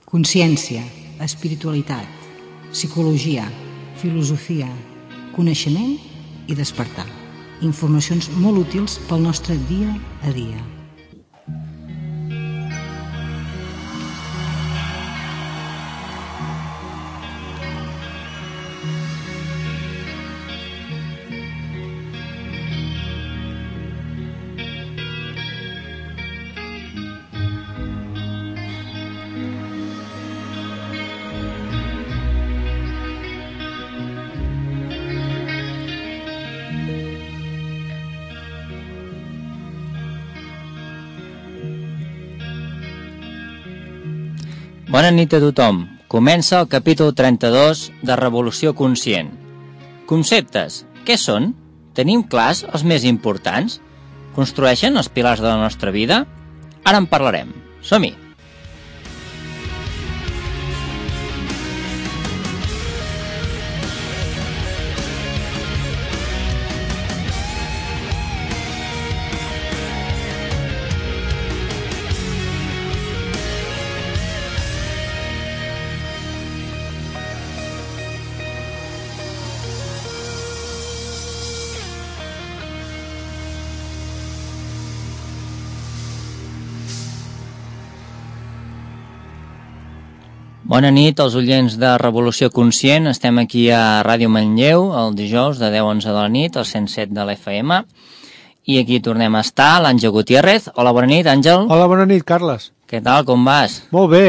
Consciència, espiritualitat, psicologia, filosofia, coneixement i despertar. Informacions molt útils pel nostre dia a dia. Bona nit a tothom. Comença el capítol 32 de Revolució Conscient. Conceptes. Què són? Tenim clars els més importants? Construeixen els pilars de la nostra vida? Ara en parlarem. Som-hi! Bona nit als oients de Revolució Conscient. Estem aquí a Ràdio Manlleu el dijous de 10 a 11 de la nit, al 107 de l'FM. I aquí tornem a estar, l'Àngel Gutiérrez. Hola, bona nit, Àngel. Hola, bona nit, Carles. Què tal, com vas? Molt bé,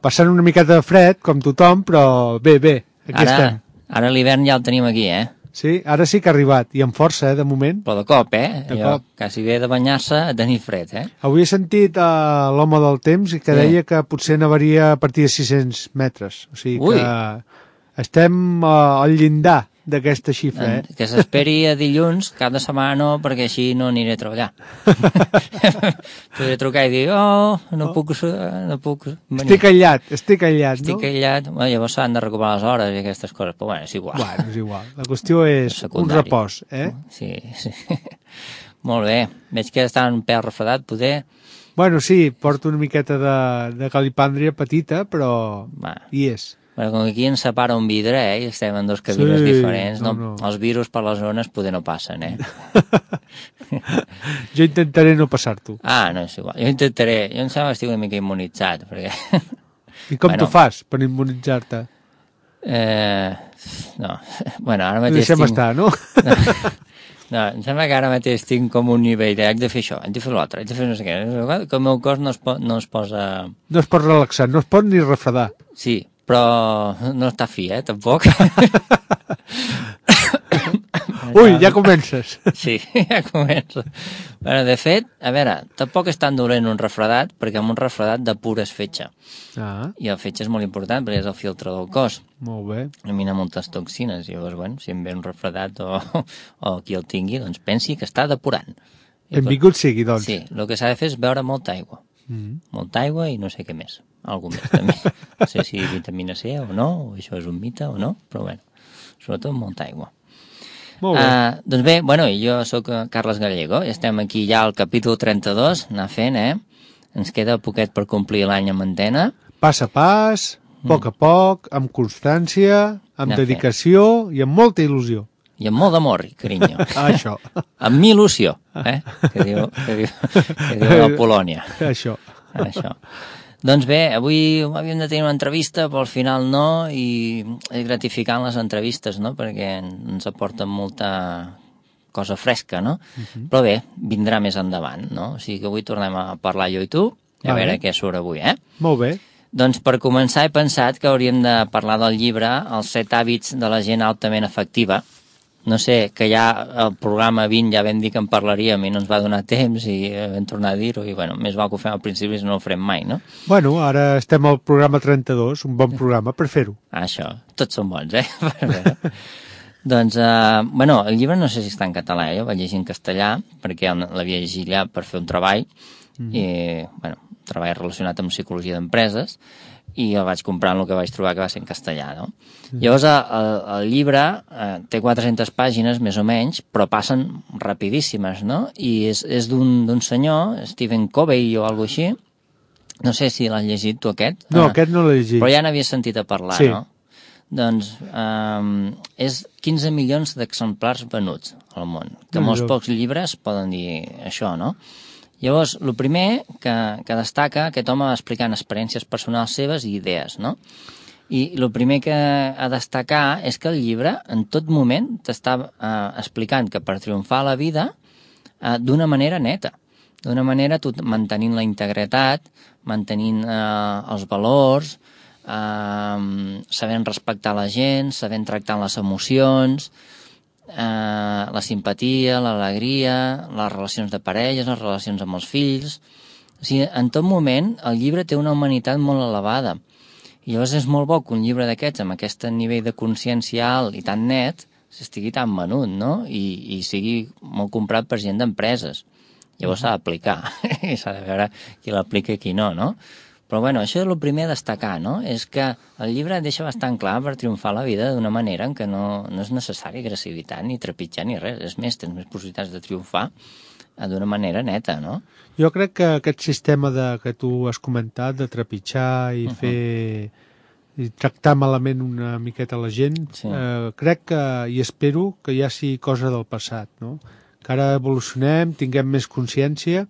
passant una miqueta de fred, com tothom, però bé, aquí estem. Ara l'hivern ja el tenim aquí, eh? Sí, ara sí que ha arribat, i amb força, de moment. Però de cop, eh? De cop. Quasi bé de banyar-se a tenir fred, eh? Avui he sentit l'home del temps que deia que potser nevaria a partir de 600 metres. O sigui que estem al llindar d'aquesta xifra, eh? Que s'esperi a dilluns, cap de setmana no, perquè així no aniré a treballar. Podré trucar i dir, no puc venir. Estic aïllat, no? Estic aïllat. Bueno, llavors s'han de recuperar les hores i aquestes coses, però bueno, és igual. Bueno, és igual. La qüestió és un repòs, eh? Sí. Molt bé. Veig que està un pèl refredat, poder. Bueno, sí, porto una miqueta de calipàndria petita, però hi és. Bueno, com que aquí ens separa un vidre, i estem en dos cabines diferents, no. Els virus per les zones poder no passen, eh? Jo intentaré no passar-t'ho. No és igual. Jo intentaré. Jo em sembla que estic una mica immunitzat, perquè... I com t'ho fas per immunitzar-te? No. Bueno, ara mateix deixem estar, no? No, em sembla que ara mateix tinc com un nivell de haig de fer això, haig de fer l'altre, haig de fer no sé què, que el meu cos no es posa... No es pot relaxar, no es pot ni refredar. Sí, però no està fi, tampoc. Ui, ja comences. Sí, ja començo. Bueno, de fet, a veure, tampoc és tan dolent un refredat, perquè amb un refredat depures fetge. I el fetge és molt important, perquè és el filtre del cos. Molt bé. Elimina moltes toxines, i llavors, bueno, si em ve un refredat o qui el tingui, doncs pensi que està depurant. Benvingut sigui, doncs. Sí, el que s'ha de fer és beure molta aigua. Molta aigua i no sé què més. Algú més, també. No sé si vitamina C o no, o això és un mite o no, però bueno, sobretot molta aigua. Molt bé. Doncs bé, bueno, jo sóc Carles Gallego i estem aquí ja al capítol 32, anar fent, Ens queda poquet per complir l'any amb antena. Pas a pas, poc a poc, amb constància, amb dedicació i amb molta il·lusió. I amb molt d'amor, carinyo. Això. Amb il·lusió, que diu la Polònia. Això. Doncs bé, avui havíem de tenir una entrevista, però al final no, i és gratificant les entrevistes, no?, perquè ens aporten molta cosa fresca, no? Però bé, vindrà més endavant, no? O sigui que avui tornem a parlar jo i tu, a veure què surt avui, Molt bé. Doncs per començar he pensat que hauríem de parlar del llibre Els 7 hàbits de la gent altament efectiva. No sé, que ja el programa 20 ja vam dir que en parlaríem i no ens va donar temps i vam tornar a dir-ho i bueno, més val que ho fem al principi si no ho farem mai, no? Bueno, ara estem al programa 32, un bon programa per fer-ho. Això, tots són bons, Doncs, bueno, el llibre no sé si està en català, jo vaig llegir en castellà perquè l'havia llegit allà per fer un treball i, bueno, un treball relacionat amb psicologia d'empreses i el vaig comprar en el que vaig trobar que va ser en castellà, no? Llavors, el llibre té 400 pàgines, més o menys, però passen rapidíssimes, no? I és d'un senyor, Stephen Covey o alguna així, No sé si l'has llegit tu aquest. No, aquest no l'he llegit. Però ja n'havies sentit a parlar, sí. No? Doncs és 15 milions d'exemplars venuts al món, que molts pocs llibres poden dir això, no? Llavors, el primer que destaca, aquest home va explicant experiències personals seves i idees, no? I el primer que ha de destacar és que el llibre en tot moment t'està explicant que per triomfar a la vida d'una manera neta, d'una manera mantenint la integritat, mantenint els valors, sabent respectar la gent, sabent tractar les emocions, la simpatia, l'alegria, les relacions de parelles, les relacions amb els fills. O sigui, en tot moment el llibre té una humanitat molt elevada. I llavors és molt bo que un llibre d'aquests, amb aquest nivell de consciència alt i tan net, s'estigui tan venut, no? I sigui molt comprat per gent d'empreses. Llavors s'ha d'aplicar, i s'ha de veure qui l'aplica i qui no, no? Però bueno, això és el primer a destacar, no? És que el llibre deixa bastant clar per triomfar la vida d'una manera en què no és necessari agressivitat ni trepitjar ni res. És més, tens més possibilitats de triomfar d'una manera neta, no? Jo crec que aquest sistema que tu has comentat, de trepitjar i fer i tractar malament una miqueta la gent, sí. Crec que, i espero que ja sigui cosa del passat, no? Que ara evolucionem, tinguem més consciència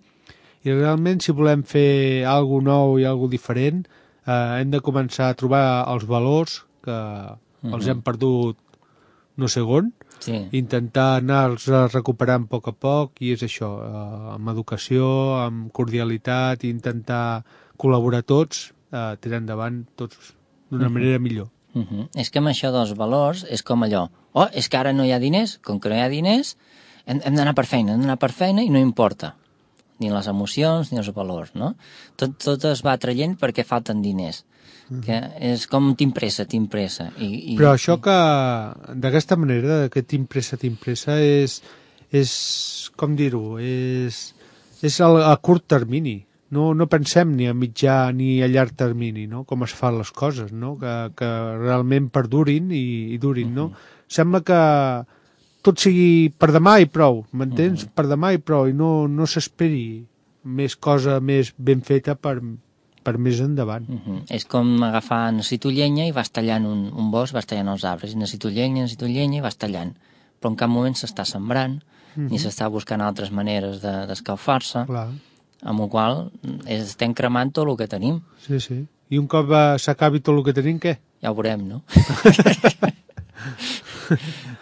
i realment si volem fer alguna nou i alguna diferent hem de començar a trobar els valors que els hem perdut no sé on, sí. Intentar anar-los recuperant a poc i és això, amb educació, amb cordialitat, i intentar col·laborar tots, tirar endavant tots d'una manera millor. És que amb això dels valors és com allò, és que ara no hi ha diners, com que no hi ha diners hem d'anar per feina, i no importa ni les emocions ni els valors, no? Tot es va traient perquè falten diners, que és com t'impressa. Però això que d'aquesta manera, que t'impressa és com dir-ho, és a curt termini. No pensem ni a mitjà ni a llarg termini, no? Com es fan les coses, no? Que realment perdurin i durin, no? Sembla que tot sigui per demà i prou, m'entens? Per demà i prou, i no s'esperi més cosa més ben feta per més endavant. És com agafar, necessito llenya i vas tallant un bosc, vas tallant els arbres, i necessito llenya i vas tallant. Però en cap moment s'està sembrant, ni s'està buscant altres maneres d'escalfar-se, amb la qual estem cremant tot el que tenim. Sí, sí. I un cop s'acabi tot el que tenim, què? Ja ho veurem, no?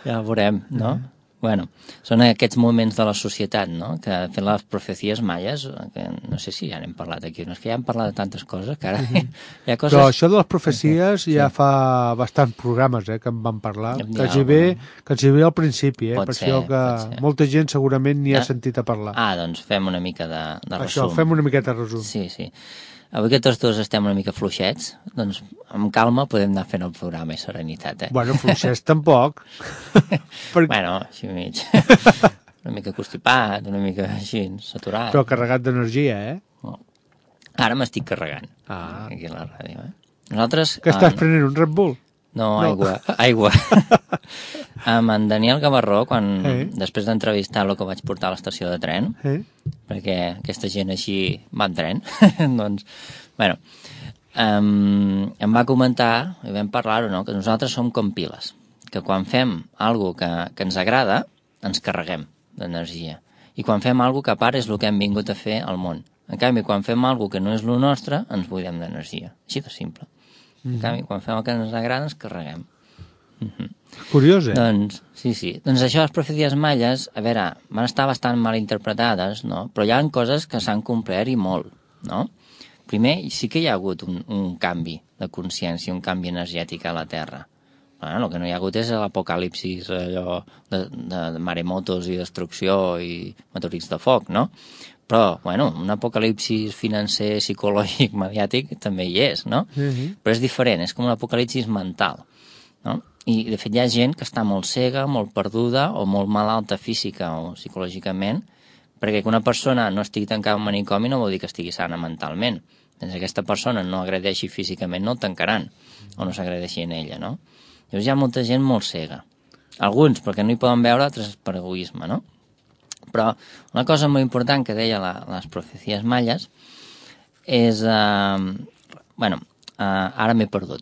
Ja ho veurem, no? Bueno, són aquests moments de la societat, no? Que fent les profecies maies, que no sé si ja n'hem parlat aquí, no és que ja hem parlat de tantes coses, que ara hi ha coses... Però això de les profecies ja fa bastants programes que en vam parlar, que ens hi ve al principi, per això que molta gent segurament n'hi ha sentit a parlar. Doncs fem una mica de resum. Això, fem una miqueta de resum. Sí. Avui que tots dos estem una mica fluixets, doncs amb calma podem anar fent el programa i serenitat, Bueno, fluixets tampoc. Bueno, així mig. Una mica constipat, una mica així, saturat. Però carregat d'energia, Ara m'estic carregant, aquí a la ràdio, Nosaltres... Que estàs prenent, un Red Bull? No, aigua. Amb en Daniel Gavarró, després d'entrevistar-lo que vaig portar a l'estació de tren, perquè aquesta gent així va en tren, doncs, bueno, em va comentar, i vam parlar-ho, no?, que nosaltres som com piles, que quan fem alguna que ens agrada, ens carreguem d'energia, i quan fem alguna que a part és el que hem vingut a fer al món. En canvi, quan fem alguna que no és el nostre, ens buidem d'energia. Així de simple. En canvi, quan fem el que ens agrada, ens carreguem. Curiós, Doncs, sí. Doncs això, les profecies maies, a veure, van estar bastant mal interpretades, no? Però hi ha coses que s'han complert i molt, no? Primer, sí que hi ha hagut un canvi de consciència, un canvi energètic a la Terra. El que no hi ha hagut és l'apocalipsis, allò de maremotos i destrucció i meteorits de foc, no? Però, bueno, un apocalipsis financer, psicològic, mediàtic, també hi és, no? Però és diferent, és com un apocalipsis mental, no? I, de fet, hi ha gent que està molt cega, molt perduda o molt malalta física o psicològicament, perquè que una persona no estigui tancada en un manicomi no vol dir que estigui sana mentalment. Si aquesta persona no agredeixi físicament, no el tancaran, o no s'agredeixi en ella, no? Llavors hi ha molta gent molt cega. Alguns, perquè no hi poden veure, altres per egoisme, no? Però una cosa molt important que deia les profecies maies és... ara m'he perdut.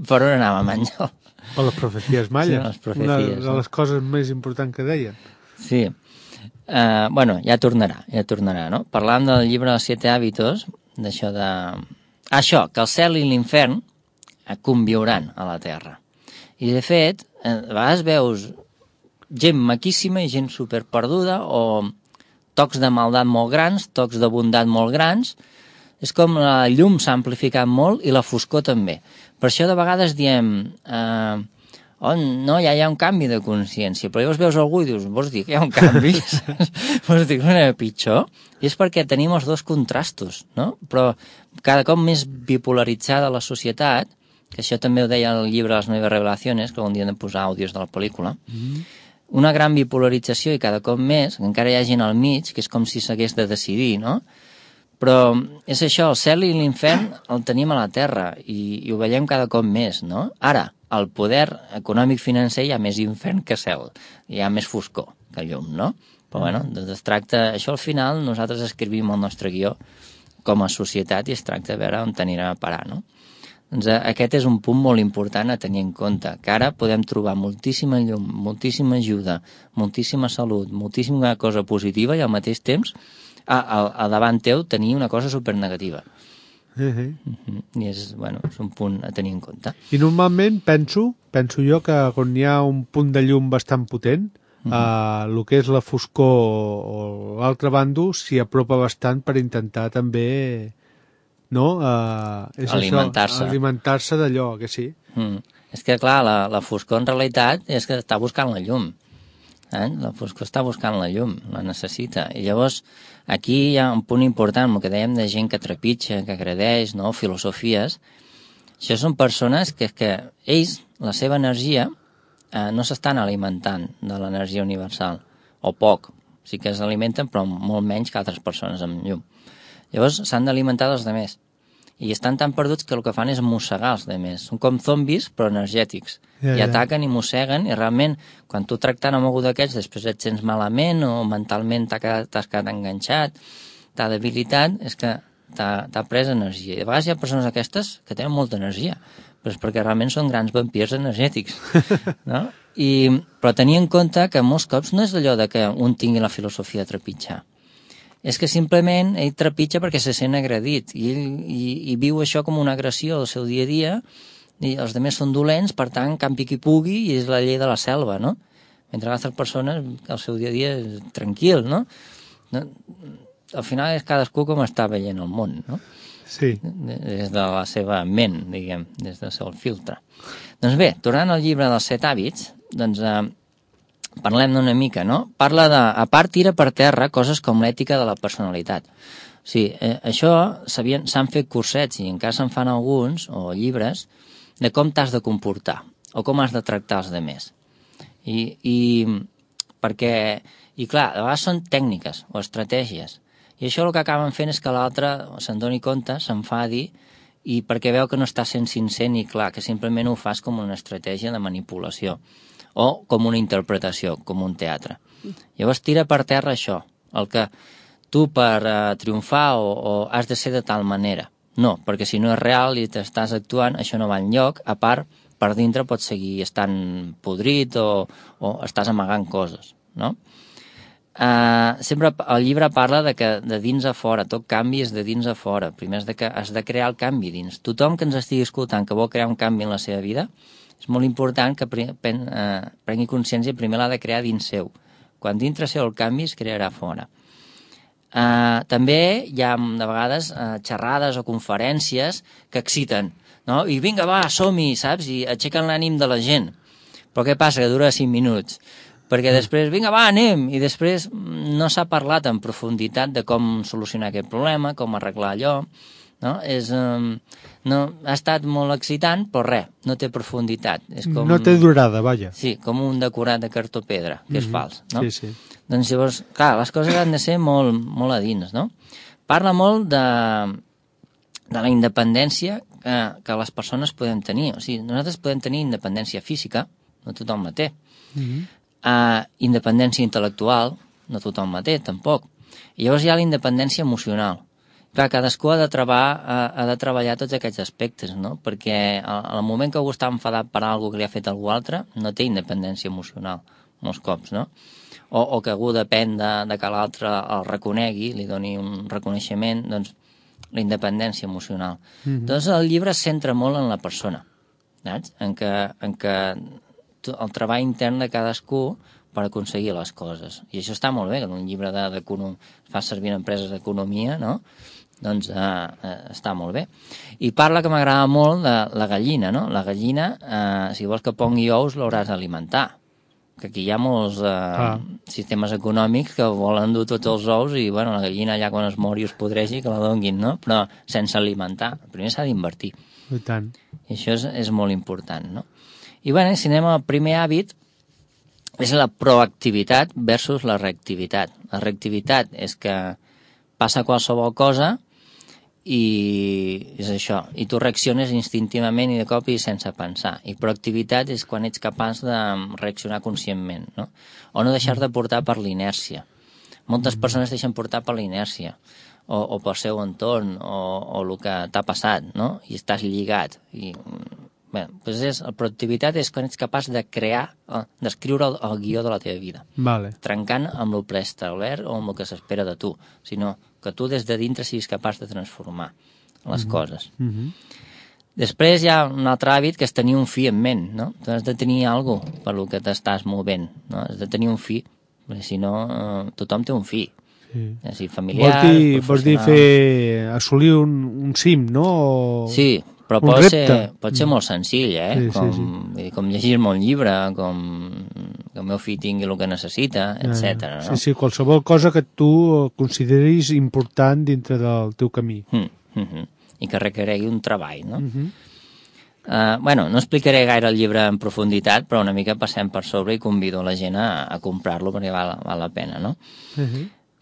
Per on anàvem, Àngel? Per les profecies mayas. Sí, les profecies, una de les coses més importants que deien. Sí. Ja tornarà, no? Parlant del llibre dels 7 hàbitos, d'això de... Això, que el cel i l'infern conviuran a la Terra. I, de fet, a vegades veus gent maquíssima i gent superperduda, o tocs de maldat molt grans, tocs de bondat molt grans. És com la llum s'ha amplificat molt i la foscor també. Per això de vegades diem no, ja hi ha un canvi de consciència, però llavors veus algú i dius, vols dir que hi ha un canvi? Vols dir que no era pitjor? I és perquè tenim els dos contrastos, no? Però cada cop més bipolaritzada la societat, que això també ho deia el llibre Les Nuevas Revelaciones, que un dia hem de posar àudios de la pel·lícula, una gran bipolarització i cada cop més, encara hi ha gent al mig, que és com si s'hagués de decidir, no? Però és això, el cel i l'infern el tenim a la Terra i ho veiem cada cop més, no? Ara, al poder econòmic financer hi ha més infern que cel, hi ha més foscor que llum, no? Però bueno, doncs es tracta, això al final nosaltres escrivim el nostre guió com a societat i es tracta de veure on anirà a parar, no? Doncs aquest és un punt molt important a tenir en compte, que ara podem trobar moltíssima llum, moltíssima ajuda, moltíssima salut, moltíssima cosa positiva i al mateix temps a davant teu tenir una cosa supernegativa. I és un punt a tenir en compte. I normalment penso jo que quan hi ha un punt de llum bastant potent, el que és la foscor o l'altre bàndol s'hi apropa bastant per intentar també alimentar-se d'allò, que sí. És que clar, la foscor en realitat és que està buscant la llum. La foscor està buscant la llum, la necessita. I llavors aquí hi ha un punt important, el que dèiem de gent que trepitja, que agredeix, no? Filosofies. Això són persones que ells, la seva energia, no s'estan alimentant de l'energia universal, o poc. Sí que s'alimenten, però molt menys que altres persones amb llum. Llavors s'han d'alimentar dels altres. I estan tan perduts que el que fan és mossegar els altres. Són com zombis, però energètics. I ataquen i mosseguen, i realment, quan tu tractant amb algú d'aquests, després et sents malament, o mentalment t'has quedat enganxat, t'ha debilitat, és que t'ha pres energia. I a vegades hi ha persones aquestes que tenen molta energia, però és perquè realment són grans vampirs energètics, no? Però tenir en compte que molts cops no és allò de que un tingui la filosofia de trepitjar. És que simplement ell trepitja perquè se sent agredit i viu això com una agressió del seu dia a dia, i els altres són dolents, per tant, campi qui pugui, i és la llei de la selva, no? Mentre altres persones, el seu dia a dia és tranquil, no? Al final és cadascú com està veient el món, no? Sí. Des de la seva ment, diguem, des del seu filtre. Doncs bé, tornant al llibre dels 7 hàbits, doncs parlem d'una mica, no? Parla de, a part, tira per terra coses com l'ètica de la personalitat. O sigui, això s'han fet cursets i encara se'n fan alguns, o llibres, de com t'has de comportar, o com has de tractar els altres. I clar, a vegades són tècniques o estratègies, i això el que acaben fent és que l'altre se'n doni compte, s'enfadi, i perquè veu que no està sent sincer ni clar, que simplement ho fas com una estratègia de manipulació, o com una interpretació, com un teatre. Llavors tira per terra això, el que tu per triomfar o has de ser de tal manera. No, perquè si no és real i t'estàs actuant, això no va enlloc, a part, per dintre pots seguir estant podrit o estàs amagant coses, no? Sempre el llibre parla de que de dins a fora, tot canvi és de dins a fora. Primer has de crear el canvi dins. Tothom que ens estigui escoltant que vol crear un canvi en la seva vida, és molt important que prengui consciència, primer l'ha de crear dins seu. Quan dintre seu el canvi es crearà fora. També hi ha de vegades xerrades o conferències que exciten, no? I vinga, va, som-hi, saps? I aixequen l'ànim de la gent. Però què passa? Que dura 5 minuts. Perquè després, vinga, va, anem, i després no s'ha parlat en profunditat de com solucionar aquest problema, com arreglar allò, no? Ha estat molt excitant, però res, no té profunditat. És com, no té durada, vaja. Sí, com un decorat de cartó-pedra, que és fals, no? Sí. Doncs llavors, clar, les coses han de ser molt, molt a dins, no? Parla molt de la independència que les persones podem tenir. O sigui, nosaltres podem tenir independència física, no tothom la té. Independència intel·lectual, no tothom la té, tampoc. I llavors hi ha la independència emocional. clar, cadascú ha de treballar tots aquests aspectes, no? Perquè al moment que algú està enfadat per alguna que li ha fet algú altre, no té independència emocional, molts cops, no? O que algú depèn de que l'altre el reconegui, li doni un reconeixement, doncs la independència emocional. Doncs el llibre es centra molt en la persona, saps? En què el treball intern de cadascú per aconseguir les coses. I això està molt bé, que en un llibre fa servir en empreses d'economia, no? Doncs està molt bé. I parla, que m'agrada molt, de la gallina, no? La gallina, si vols que pongui ous, l'hauràs d'alimentar. Que aquí hi ha molts sistemes econòmics que volen dur tots els ous i, bueno, la gallina allà quan es mori o es podreixi, que la donguin, no? Però sense alimentar. Primer s'ha d'invertir. I tant. I això és molt important, no? I, bueno, si anem al primer hàbit, és la proactivitat versus la reactivitat. La reactivitat és que passa qualsevol cosa i és això, i tu reacciones instintivament i de cop i sense pensar. I proactivitat és quan ets capaç de reaccionar conscientment, no? O no deixar-te portar per l'inèrcia. Moltes persones deixen portar per l'inèrcia o pel seu entorn o el que t'ha passat, no? I estàs lligat. I, bé, doncs la proactivitat és quan ets capaç de crear, d'escriure el guió de la teva vida. Vale. Trencant amb el preestablert o amb el que s'espera de tu, sinó que tu des de dintre siguis capaç de transformar les coses. Després hi ha un altre hàbit que és tenir un fi en ment, no? Tu has de tenir alguna cosa per lo que t'estàs movent, no? Has de tenir un fi, perquè si no tothom té un fi. Sí. Si familiar, vols dir assolir un cim, no? Sí, però pot ser molt senzill, com llegir-me un llibre, com que el meu fill tingui el que necessita, etc. No? Sí, qualsevol cosa que tu consideris important dintre del teu camí. I que requeregui un treball, no? Bueno, no explicaré gaire el llibre en profunditat, però una mica passem per sobre i convido la gent a comprar-lo perquè val la pena, no?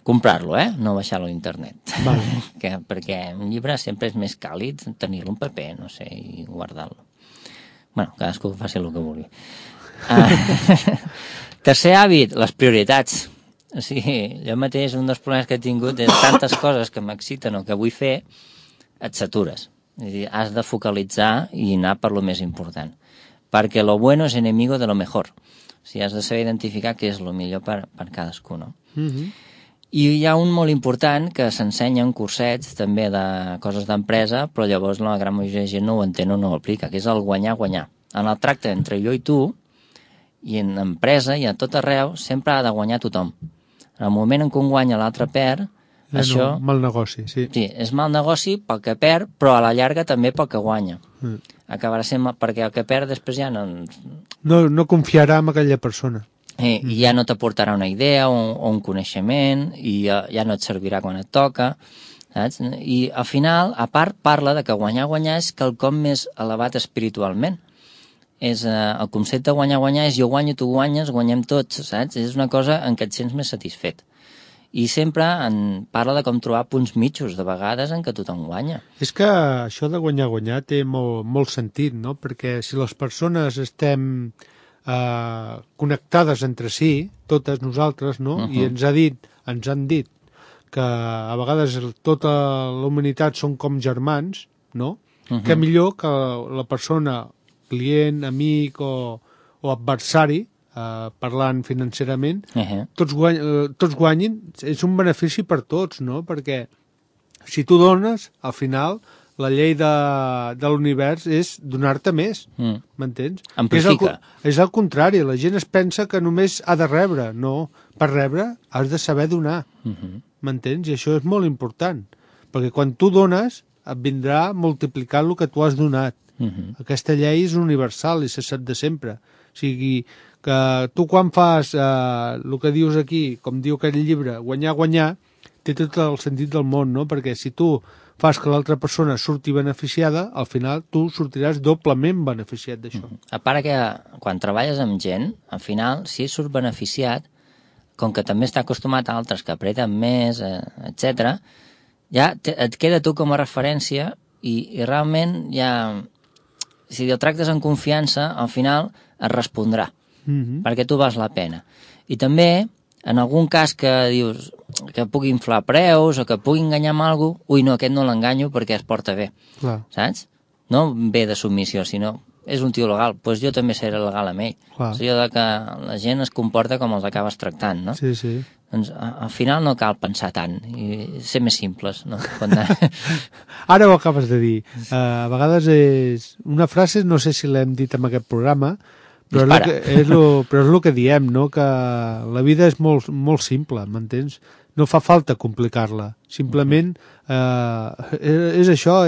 Comprar-lo, no baixar-lo a internet. Vale. Perquè un llibre sempre és més càlid tenir-lo en paper, no sé, i guardar-lo. Bueno, cadascú faci el que vulgui. Tercer hàbit, les prioritats. O sigui, jo mateix un dels problemes que he tingut és tantes coses que m'exciten o que vull fer, et satures. És a dir, has de focalitzar i anar per lo més important. Perquè lo bueno és enemigo de lo mejor. O sigui, has de saber identificar què és lo millor per cadascú, no? I hi ha un molt important que s'ensenya en cursets també de coses d'empresa, però llavors la gran majoria de gent no ho entén o no ho aplica, que és el guanyar-guanyar. En el tracte entre jo i tu, i en empresa i a tot arreu, sempre ha de guanyar tothom. En el moment en què un guanya l'altre perd, això... Mal negoci, sí. Sí, és mal negoci pel que perd, però a la llarga també pel que guanya. Acabarà sent perquè el que perd després ja no... No confiarà en aquella persona. I ja no t'aportarà una idea o un coneixement i ja no et servirà quan et toca, saps? I al final, a part, parla de que guanyar-guanyar és quelcom més elevat espiritualment. El concepte de guanyar-guanyar és jo guanyo, tu guanyes, guanyem tots, saps? És una cosa en què et sents més satisfet. I sempre parla de com trobar punts mitjos, de vegades en què tothom guanya. És que això de guanyar-guanyar té molt sentit, no? Perquè si les persones estem connectades entre si, totes nosaltres, no? I ens han dit que a vegades tota la humanitat són com germans, no? Que millor que la persona, client, amic o adversari, parlant financerament, tots guanyin, és un benefici per tots, no? Perquè si tu dones, al final, la llei de l'univers és donar-te més, m'entens? Amplifica. És al contrari, la gent es pensa que només ha de rebre, no, per rebre has de saber donar, m'entens? I això és molt important, perquè quan tu dones et vindrà multiplicar el que tu has donat. Aquesta llei és universal i se sap de sempre. O sigui, que tu quan fas el que dius aquí, com diu aquest llibre, guanyar-guanyar, té tot el sentit del món, no? Perquè si tu fas que l'altra persona surti beneficiada, al final tu sortiràs doblement beneficiat d'això. A part que quan treballes amb gent, al final, si surt beneficiat, com que també està acostumat a altres que apreten més, etc., ja et queda tu com a referència i realment ja... Si el tractes en confiança, al final et respondrà, perquè tu vals la pena. I també, en algun cas que dius que pugui inflar preus o que pugui enganyar amb alguna cosa, ui, no, aquest no l'enganyo perquè es porta bé, saps? No ve de submissió, sinó és un tio legal, doncs jo també seré legal amb ell. És allò que la gent es comporta com els acabes tractant, no? Sí, sí. Doncs al final no cal pensar tant i ser més simples, no? Ara ho acabes de dir. A vegades és una frase, no sé si l'hem dit en aquest programa, però és el que diem, no? Que la vida és molt, molt simple, m'entens? No fa falta complicar-la. Simplement és això,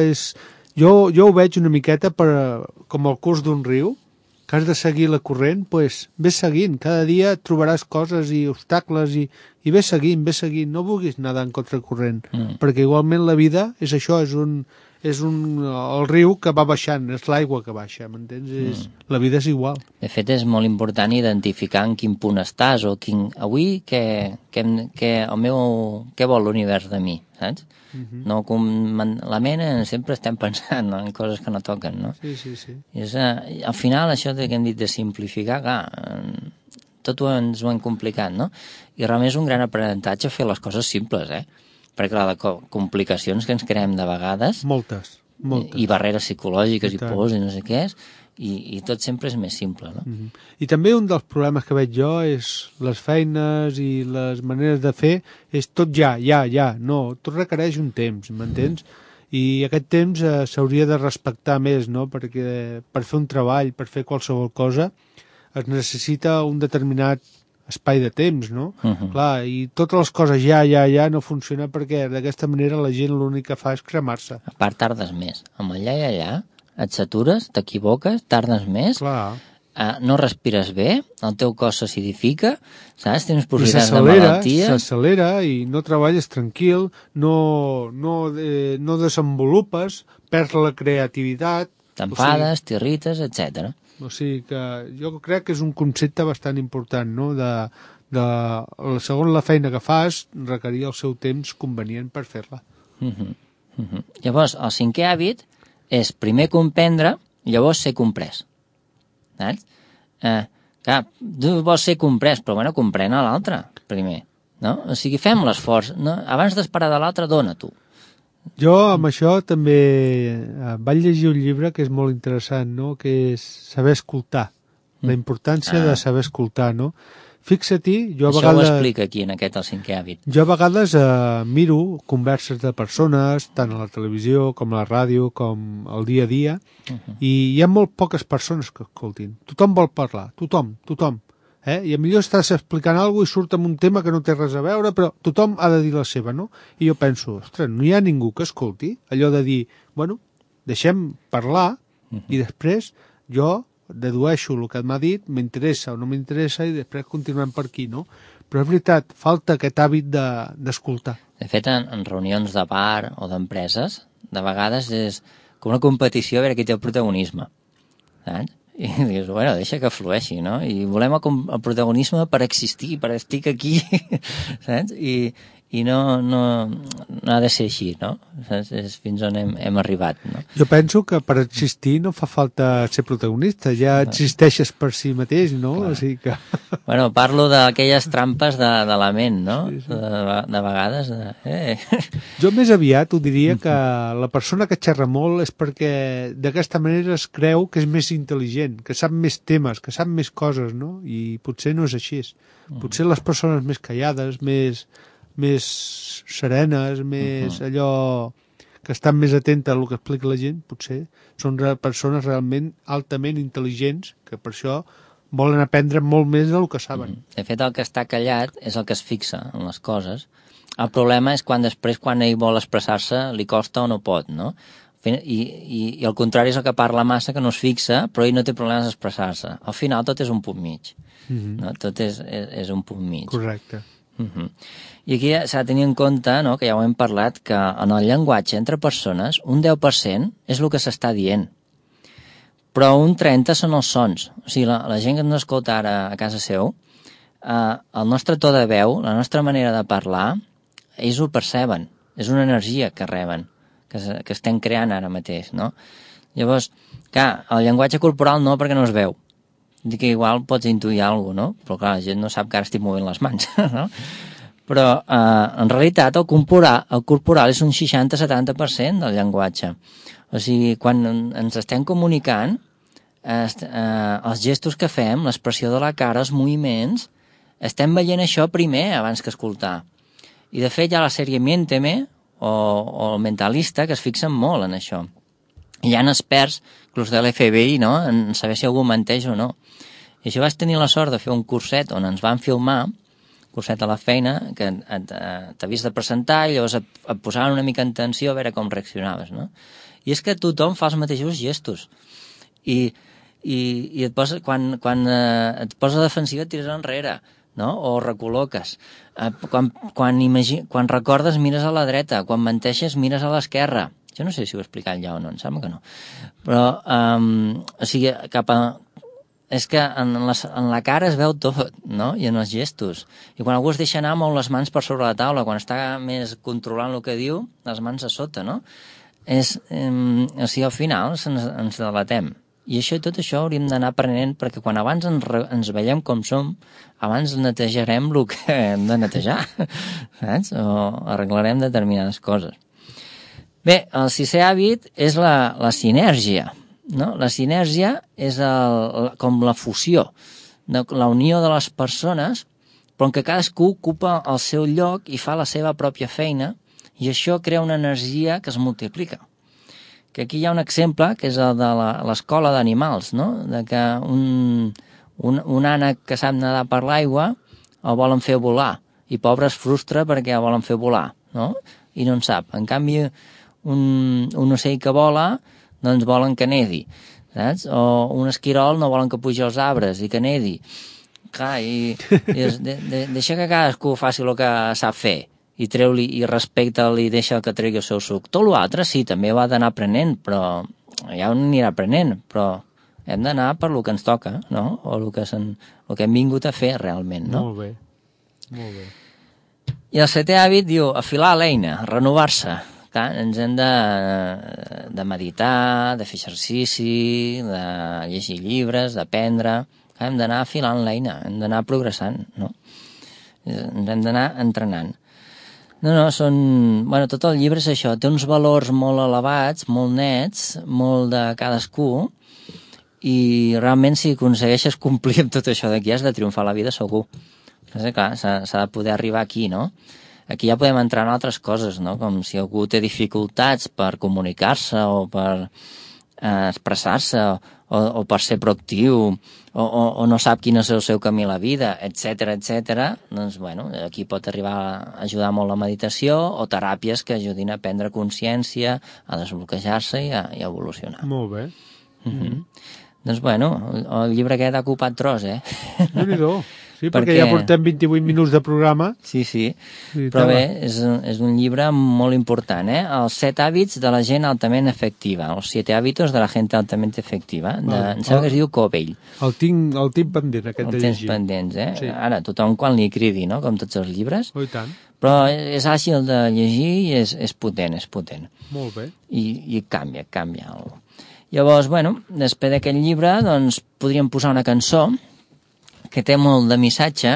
jo ho veig una miqueta com el curs d'un riu, que has de seguir la corrent, doncs ves seguint, cada dia trobaràs coses i obstacles i ves seguint, no vulguis nedar en contracorrent, perquè igualment la vida és això, el riu que va baixant, és l'aigua que baixa, m'entens? La vida és igual. De fet, és molt important identificar en quin punt estàs, o avui què vol l'univers de mi, saps? No, la ment sempre estem pensant en coses que no toquen, no? Sí. Al final, això que hem dit de simplificar, clar, tot ens ho hem complicat, no? I realment és un gran aprenentatge fer les coses simples, perquè la de complicacions que ens creem de vegades... Moltes. I barreres psicològiques i pors i no sé què és, i tot sempre és més simple, no? I també un dels problemes que veig jo és les feines i les maneres de fer, és tot ja, no, tot requereix un temps, m'entens? I aquest temps s'hauria de respectar més, no? Perquè per fer un treball, per fer qualsevol cosa, es necessita un determinat espai de temps, no? Clar, i totes les coses ja no funciona perquè d'aquesta manera la gent l'únic que fa és cremar-se. A part, tardes més. Amb el ja, et satures, t'equivoques, tardes més, no respires bé, el teu cos s'acidifica, saps? Tens possibilitats de malaltia. S'accelera i no treballes tranquil, no desenvolupes, perds la creativitat... T'enfades, t'irrites, etc. O sigui que jo crec que és un concepte bastant important, no? Segons la feina que fas, requerir el seu temps convenient per fer-la. Llavors, el 5è hàbit és primer comprendre, llavors ser comprès. Saps? Clar, tu vols ser comprès, però bueno, comprèn a l'altre primer, no? O sigui, fem l'esforç, no? Abans d'esperar de l'altre, dona tu. Jo amb això també vaig llegir un llibre que és molt interessant, no? Que és saber escoltar, la importància de saber escoltar, no? Fixa-t'hi, jo a vegades... Això ho explica aquí, en aquest, el 5è hàbit. Jo a vegades miro converses de persones, tant a la televisió com a la ràdio, com al dia a dia, i hi ha molt poques persones que escoltin. Tothom vol parlar, tothom. I millor estàs explicant alguna cosa i surt amb un tema que no té res a veure, però tothom ha de dir la seva, no? I jo penso, ostres, no hi ha ningú que escolti, allò de dir, bueno, deixem parlar, i després jo dedueixo el que m'ha dit, m'interessa o no m'interessa, i després continuem per aquí, no? Però és veritat, falta aquest hàbit d'escoltar. De fet, en reunions de bar o d'empreses, de vegades és com una competició a veure qui té el protagonisme, saps? I dius, bueno, deixa que flueixi, no? I volem el protagonisme per existir, per estic aquí, saps? I no ha de ser així, no? És fins on hem arribat, no? Jo penso que per existir no fa falta ser protagonista, ja existeixes per si mateix, no? O sigui que... Bueno, parlo d'aquelles trampes de la ment, no? Sí. De vegades... Jo més aviat ho diria que la persona que xerra molt és perquè d'aquesta manera es creu que és més intel·ligent, que sap més temes, que sap més coses, no? I potser no és així. Potser les persones més callades, més serenes, més allò que estan més atentes a el que explica la gent, potser són persones realment altament intel·ligents que per això volen aprendre molt més del que saben. De fet, el que està callat és el que es fixa en les coses. El problema és quan després, quan ell vol expressar-se, li costa o no pot, no? I el contrari és el que parla massa, que no es fixa, però ell no té problemes d'expressar-se. Al final tot és un punt mig. No? Tot és un punt mig. Correcte. I aquí s'ha de tenir en compte, no, que ja ho hem parlat, que en el llenguatge entre persones un 10% és el que s'està dient, però un 30% són els sons. O sigui, la gent que ens escolta ara a casa seu, el nostre to de veu, la nostra manera de parlar, ells ho perceben, és una energia que reben, que estem creant ara mateix, no? Llavors, clar, el llenguatge corporal no, perquè no es veu. Dic que igual pots intuir alguna cosa, no? Però clar, la gent no sap que ara estic movent les mans, no? Però en realitat el corporal és un 60-70% del llenguatge. O sigui, quan ens estem comunicant, els gestos que fem, l'expressió de la cara, els moviments, estem veient això primer abans que escoltar. I de fet hi ha la sèrie Miénteme o el Mentalista que es fixen molt en això. Hi ha experts, inclús de l'FBI, no?, en saber si algú menteix o no. I això vaig tenir la sort de fer un curset on ens van filmar, curset a la feina, que t'havies de presentar i llavors et posaven una mica en tensió a veure com reaccionaves, no? I és que tothom fa els mateixos gestos. I et posa, quan et posa defensiva et tires enrere, no? O recol·loques. Quan recordes mires a la dreta, quan menteixes mires a l'esquerra. Jo no sé si ho he explicat ja o no, em sembla que no. Però, o sigui, és que en la cara es veu tot, no? I en els gestos. I quan algú es deixa anar mou les mans per sobre la taula, quan està més controlant el que diu, les mans a sota, no? O sigui, al final ens delatem. I tot això hauríem d'anar aprenent, perquè quan abans ens veiem com som, abans netejarem el que hem de netejar, saps? O arreglarem determinades coses. Bé, el sisè hàbit és la sinergia, no? La sinergia és com la fusió, la unió de les persones, però en què cadascú ocupa el seu lloc i fa la seva pròpia feina, i això crea una energia que es multiplica. Que aquí hi ha un exemple, que és el de l'escola d'animals, no? De que un ànec que sap nedar per l'aigua el volen fer volar, i pobre es frustra perquè el volen fer volar, no? I no en sap. En canvi, un ocell que vola, doncs volen que nedi, saps? O un esquirol no volen que pugi als arbres i que nedi. Clar, i deixa que cadascú faci el que sap fer, i treu-li i respecta-li i deixa que tregui el seu suc. Tot l'altre sí, també ho ha d'anar aprenent, però ja ho anirà aprenent, però hem d'anar per lo que ens toca, no? O el que hem vingut a fer realment, no? Molt bé, molt bé. I el setè hàbit diu afilar l'eina, renovar-se. Clar, ens hem de meditar, de fer exercici, de llegir llibres, d'aprendre. Hem d'anar afilant l'eina, hem d'anar progressant, no? Ens hem d'anar entrenant. No, bueno, tot el llibre és això, té uns valors molt elevats, molt nets, molt de cadascú, i realment si aconsegueixes complir amb tot això d'aquí has de triomfar a la vida segur. Clar, s'ha de poder arribar aquí, no? Aquí ja podem entrar en altres coses, no? Com si algú té dificultats per comunicar-se o per expressar-se o per ser proactiu o no sap quin és el seu camí a la vida, etc. Doncs, bueno, aquí pot arribar a ajudar molt la meditació o teràpies que ajudin a prendre consciència, a desbloquejar-se i a evolucionar. Molt bé. Doncs, bueno, el llibre aquest ha ocupat tros, Déu-n'hi-do. Sí, perquè ja portem 28 minuts de programa. Sí, però bé, és un llibre molt important, Els 7 hàbits de la gent altament efectiva, els 7 hábitos de la gent altament efectiva, em sembla que es diu Covell. El tinc pendent, aquest de llegir. El tens pendents, Sí. Ara, tothom quan li cridi, no?, com tots els llibres. Oh, i tant. Però és àgil de llegir i és potent, Molt bé. I canvia. Llavors, bueno, després d'aquest llibre, doncs, podríem posar una cançó que té molt de missatge,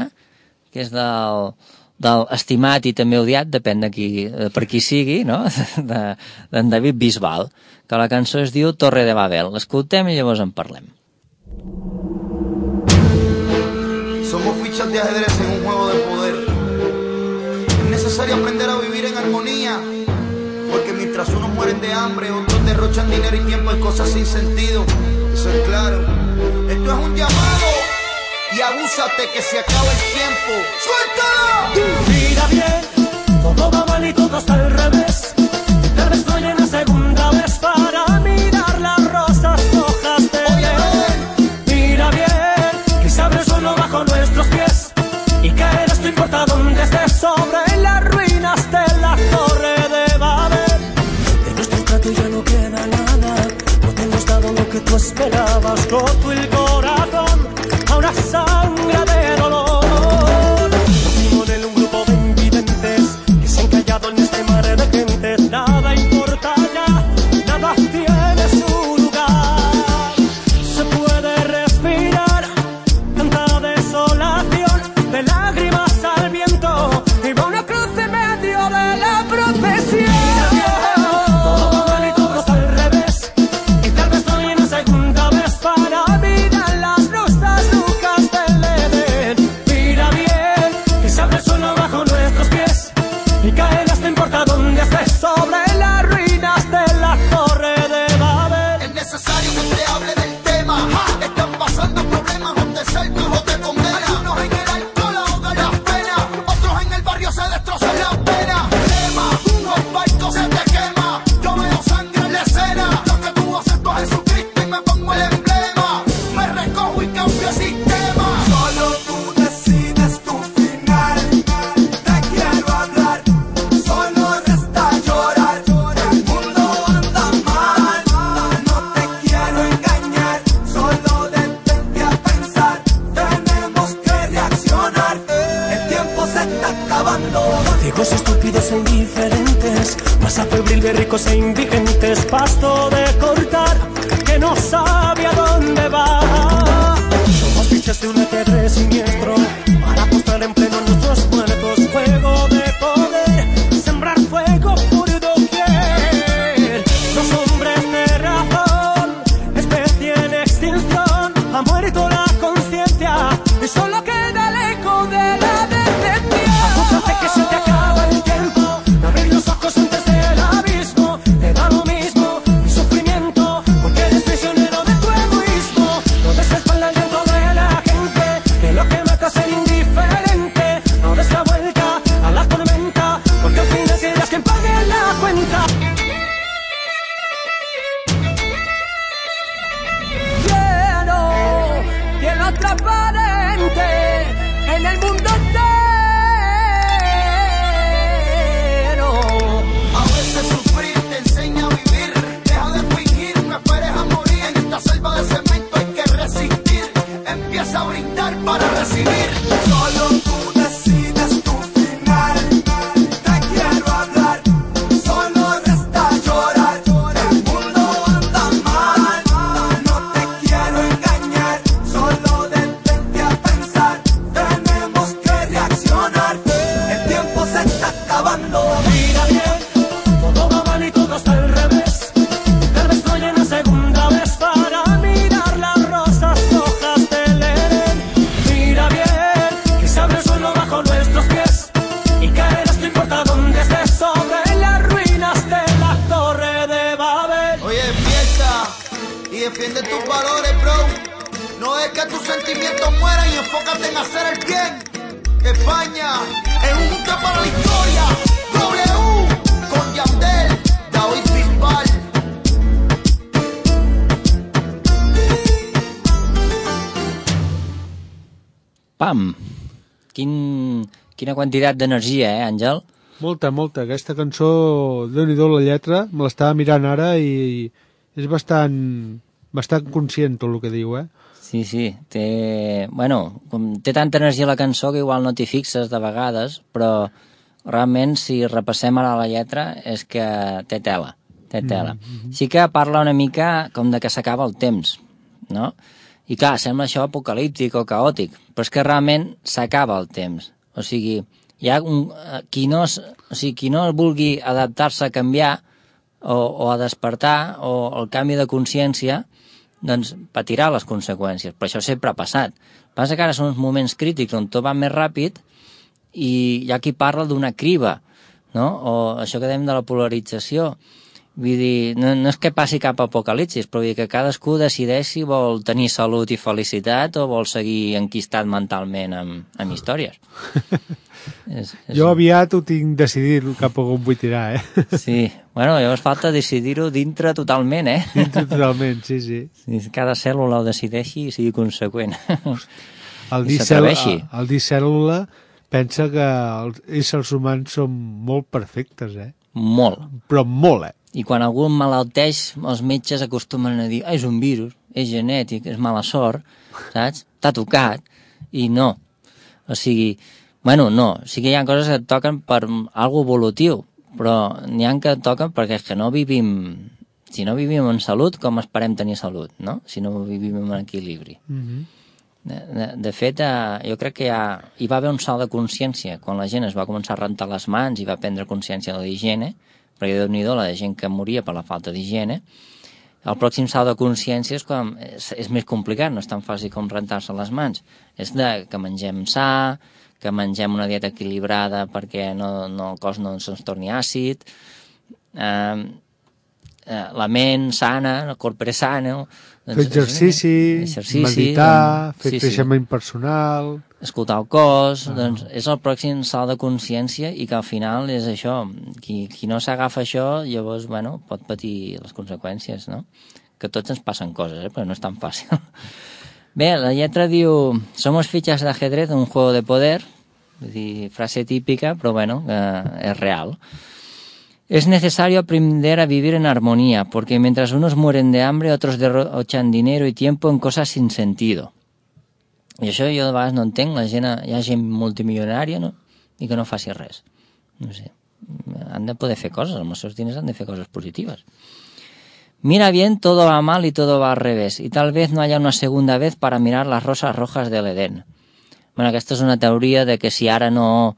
que és del estimat i també odiat, depèn per qui sigui, no?, d'en David Bisbal, que la cançó es diu Torre de Babel. L'escoltem i llavors en parlem. Somos fichas de ajedrez en un juego de poder. Es necesario aprender a vivir en armonía, porque mientras unos mueren de hambre, otros derrochan dinero y tiempo en cosas sin sentido. Eso es claro. Esto es un llamado. Y abúsate que se acaba el tiempo. ¡Suéltalo! Mira bien, todo va mal y todo está al revés. Tal vez estoy en la segunda vez para mirar las rosas rojas de ver. Mira bien, que se abre el suelo bajo nuestros pies y caerás, no importa dónde estés, sobre las ruinas de la Torre de Babel. De nuestro trato ya no queda nada, no te hemos dado lo que tú esperabas, roto el corazón a una sangre de dolor. Con él un grupo de invidentes que se han callado en este mar de gentes. Nada importa ya, nada tiene su lugar. Se puede respirar tanta desolación, de lágrimas al viento y e indiferentes, masa febril de ricos e indigentes, pasto de cortar que no sabe a dónde va. Somos fichas de un ajedrez siniestro para postar en pleno nuestros muertos. Juego de poder, sembrar fuego por doquier. Los hombres de razón, especie en extinción, ha muerto la conciencia y solo queda el eco de la decencia. Acúsate que se te acaba el tiempo, abrir los ojos antes del abismo. Te da lo mismo mi sufrimiento, porque eres prisionero de tu egoísmo. No des la espalda al viento de la gente, que lo que mata es ser indiferente. No des la vuelta a la tormenta, porque al final serás quien pague la cuenta. Cielo transparente en el mundo entero. A veces sufrir te enseña a vivir. Deja de fingir, no esperes a morir. En esta selva de cemento hay que resistir. Empieza a brindar para recibir. Solo tú decides tu final. Te quiero hablar, solo resta llorar. El mundo anda mal, no te quiero engañar. Solo detente a pensar, tenemos que reaccionar. El tiempo se está acabando. Mira bien, todo va mal y todo está al revés. Tal vez estoy en la segunda vez para mirar las rosas rojas del Edén. Mira bien, que se abre el suelo bajo nuestros pies y caerás, no importa dónde estés, sobre las ruinas de la torre de Babel. Oye, despierta y defiende tus valores, bro. No dejes que tus sentimientos mueran y enfócate en hacer el bien. España es un buque para la historia. W con Yandel, David Bisbal. Pam! Quina quantitat d'energia, Àngel? Molta, molta. Aquesta cançó, Déu-n'hi-do la lletra, me l'estava mirant ara i és bastant conscient tot el que diu, Sí, té tanta energia la cançó que igual no t'hi fixes de vegades, però realment si repassem ara la lletra és que té tela. Sí que parla una mica com de que s'acaba el temps, no? I clar, sembla això apocalíptic o caòtic, però és que realment s'acaba el temps. O sigui, hi ha qui no vulgui adaptar-se a canviar o a despertar o el canvi de consciència, doncs patirà les conseqüències, però això sempre ha passat. Passa que ara són uns moments crítics on tot va més ràpid i hi ha qui parla d'una criba, no? O això que dèiem de la polarització. Vull dir, no és que passi cap apocalipsis, però vull dir que cadascú decideix si vol tenir salut i felicitat o vol seguir enquistat mentalment amb històries. Jo aviat ho tinc decidit cap a on vull tirar, Sí, llavors falta decidir-ho dintre totalment, Dintre totalment, sí. Cada cèl·lula ho decideixi i sigui conseqüent. El dir cèl·lula pensa que els éssers humans són molt perfectes, Molt. Però molt, I quan algú malalteix, els metges acostumen a dir és un virus, és genètic, és mala sort, saps? T'ha tocat, i no. O sigui, no. Sí que hi ha coses que et toquen per algo evolutiu, però n'hi ha que et toquen perquè és que no vivim... Si no vivim en salut, com esperem tenir salut, no? Si no vivim en equilibri. De fet, jo crec que hi va haver un salt de consciència quan la gent es va començar a rentar les mans i va prendre consciència de l'higiene, perquè Déu-n'hi-do la gent que moria per la falta d'higiene. El pròxim salt de consciència és quan és més complicat, no és tan fàcil com rentar-se les mans. És que mengem sa, que mengem una dieta equilibrada perquè el cos no se'ns torni àcid, la ment sana, el corp és sano... Fer exercici, meditar, fer creixement personal... Escoltar el cos, doncs és el pròxim salt de consciència i que al final és això. Qui no s'agafa això, llavors, pot patir les conseqüències, no? Que tots ens passen coses, però no és tan fàcil. Bé, la lletra diu: somos fichas de ajedrez, un juego de poder. Vull dir, frase típica, però és real. Es necesario aprender a vivir en armonía, porque mientras unos mueren de hambre, otros derrochan dinero y tiempo en cosas sin sentido. I això jo de vegades no entenc, hi ha gent multimilionària, no? I que no faci res. No sé. Han de poder fer coses, amb els seus diners han de fer coses positives. Mira bien, todo va mal y todo va al revés, y tal vez no haya una segunda vez para mirar las rosas rojas del Edén. Bueno, aquesta és una teoria de que si ara no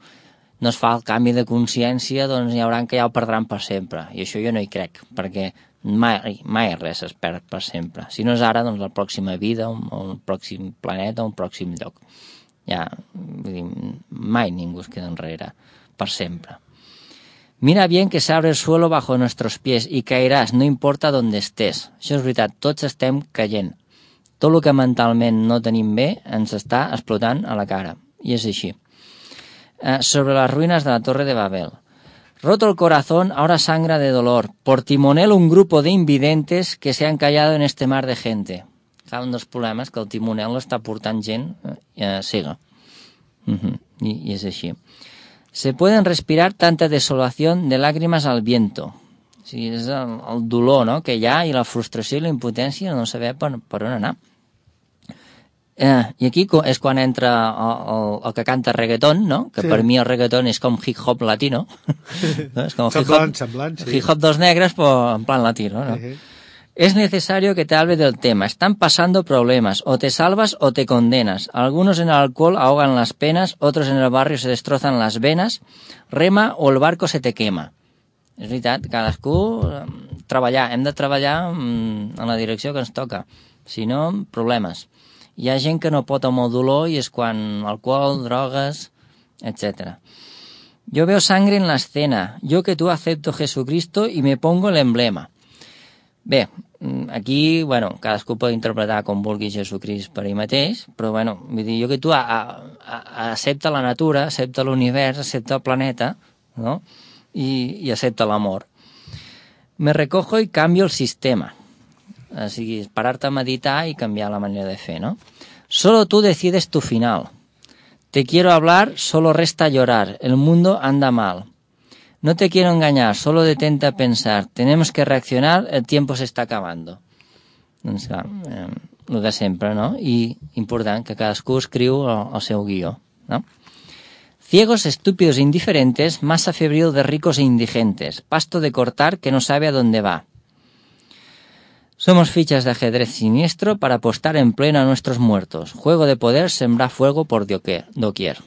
es fa el canvi de consciència, doncs hi haurà que ja ho perdran per sempre. I això jo no hi crec, perquè mai res es perd per sempre. Si no és ara, doncs la pròxima vida, un pròxim planeta, un pròxim lloc. Ja, vull dir, mai ningú es queda enrere, per sempre. Mira bien que se abre el suelo bajo nuestros pies y caerás, no importa donde estés. Això és veritat, tots estem caient. Tot el que mentalment no tenim bé ens està explotant a la cara. I és així. Sobre las ruinas de la Torre de Babel. Roto el corazón, ahora sangra de dolor. Por timonel un grupo de invidentes que se han callado en este mar de gente. Clar, un dels problemes que el timonel està portant gent cega. I és així. Se pueden respirar tanta desolación de lágrimas al viento. O sigui, és el dolor, no?, que hi ha, i la frustració i la impotència de no saber per on anar. I aquí és quan entra el que canta reggaeton, no?, que per mi el reggaeton és com hip-hop latino. No? És com semblant, sí. Hip-hop dels negres, però en plan latino, ¿no? Es necesario que te hable del tema. Están pasando problemas. O te salvas o te condenas. Algunos en el alcohol ahogan las penas, otros en el barrio se destrozan las venas. Rema o el barco se te quema. És veritat, cadascú treballar. Hem de treballar en la direcció que ens toca. Si no, problemes. Hi ha gent que no pot amb el dolor i és quan alcohol, drogues, etc. Yo veo sangre en la escena. Yo que tú acepto Jesucristo y me pongo el emblema. Bé, aquí, bueno, cadascú pot interpretar com vulgui Jesucrist per ell mateix, però, bueno, vull dir, jo que tu accepta la natura, accepta l'univers, accepta el planeta, no?, i accepta l'amor. Me recojo y cambio el sistema. O sigui, parar-te a meditar i canviar la manera de fer, no? Solo tú decides tu final. Te quiero hablar, solo resta llorar. El mundo anda mal. No te quiero engañar, solo detente a pensar. Tenemos que reaccionar, el tiempo se está acabando. Doncs clar, el de sempre, no? I important que cadascú escriu el seu guió, no? Ciegos, estúpidos e indiferentes, masa febril de ricos e indigentes, pasto de cortar que no sabe a dónde va. Somos fichas de ajedrez siniestro para apostar en pleno a nuestros muertos. Juego de poder sembrar fuego por doquier.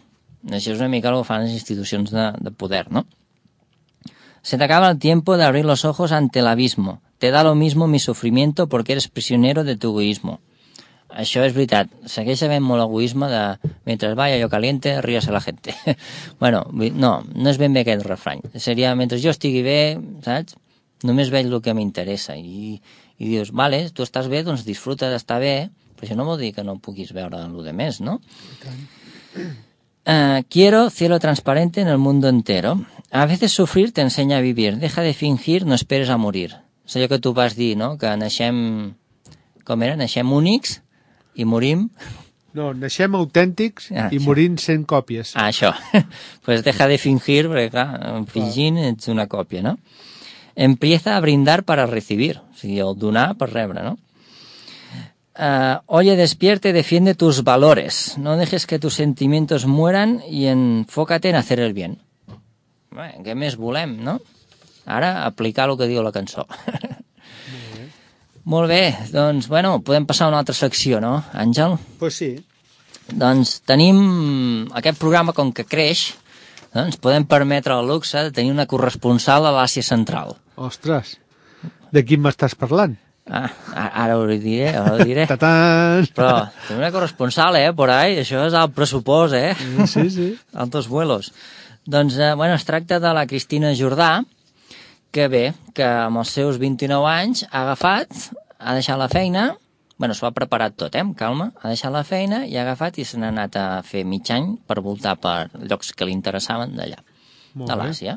Això és una mica el que fan les institucions de poder, no? Se te acaba el tiempo de abrir los ojos ante el abismo. Te da lo mismo mi sufrimiento porque eres prisionero de tu egoísmo. Això és veritat. Segueix havent molt egoisme de mentre vaya yo caliente, ríase la gente. Bueno, no és ben bé aquest refrany. Seria mentre jo estigui bé, saps? Només veig el que m'interessa. I dius, vale, tu estàs bé, doncs disfruta d'estar bé, però això no vol dir que no puguis veure el de més, no? Quiero cielo transparente en el mundo entero. A veces sufrir te enseña a vivir. Deja de fingir, no esperes a morir. És allò que tu vas dir, no?, que naixem... Com era? Naixem únics i morim... No, naixem autèntics i morim sent còpies. Això. Pues deja de fingir, perquè clar, fingint ets una còpia, no? Empieza a brindar para recibir. O sigui, el donar per rebre, no? Oye, despierte, defiende tus valores. No dejes que tus sentimientos mueran y enfócate en hacer el bien. Bé, què més volem, no? Ara, aplicar el que diu la cançó. Molt bé, doncs, bueno, podem passar a una altra secció, no, Àngel? Pues sí. Doncs tenim aquest programa, com que creix, doncs podem permetre el luxe de tenir una corresponsal a l'Àsia Central. Ostres, de qui m'estàs parlant? Ara ho diré. Tatán! Però tenim una corresponsal, por ahí, això és el pressupost, Sí. Altos vuelos. Doncs, bueno, es tracta de la Cristina Jordà, que bé, que amb els seus 29 anys ha agafat, ha deixat la feina, bueno, s'ho ha preparat tot, amb calma, ha deixat la feina i ha agafat i se n'ha anat a fer mig any per voltar per llocs que li interessaven d'allà, de l'Àsia.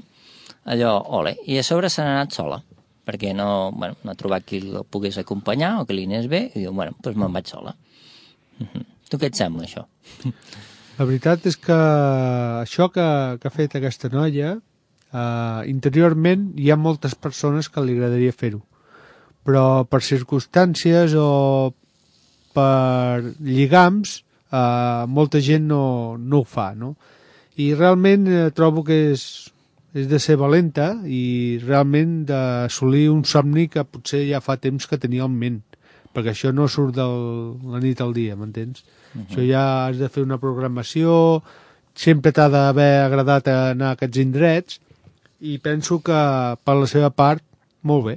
Allò, ole. I a sobre se n'ha anat sola, perquè no ha trobat qui el pogués acompanyar o que li anés bé, i diu, bueno, doncs me'n vaig sola. Tu què et sembla, això? La veritat és que això que ha fet aquesta noia, interiorment hi ha moltes persones que li agradaria fer-ho, però per circumstàncies o per lligams molta gent no ho fa, no? I realment trobo que és és de ser valenta i realment d'assolir un somni que potser ja fa temps que tenia en ment, perquè això no surt de la nit al dia, m'entens? Això ja has de fer una programació, sempre t'ha d'haver agradat anar a aquests indrets, i penso que per la seva part, molt bé.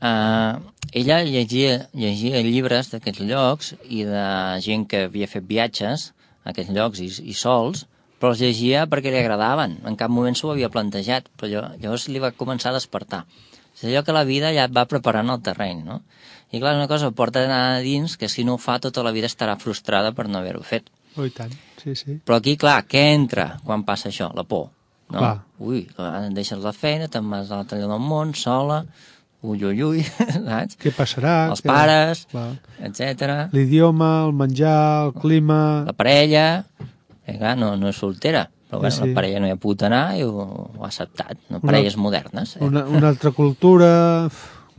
Ella llegia llibres d'aquests llocs i de gent que havia fet viatges a aquests llocs i sols, però els llegia perquè li agradaven. En cap moment s'ho havia plantejat, però llavors li va començar a despertar. És allò que la vida ja et va preparant el terreny, no? I clar, una cosa porta a dins que si no ho fa tota la vida estarà frustrada per no haver-ho fet. Oh, i tant, sí, sí. Però aquí, clar, què entra quan passa això? La por, no? Clar. Ui, deixes la feina, te'n vas a l'altre lloc del món, sola, ui, saps? Què passarà? Els pares, etc. L'idioma, el menjar, el clima... La parella, clar, no és soltera, però bueno, sí. la parella no hi ha pogut anar i ho ha acceptat, no? Parelles modernes. Una altra cultura...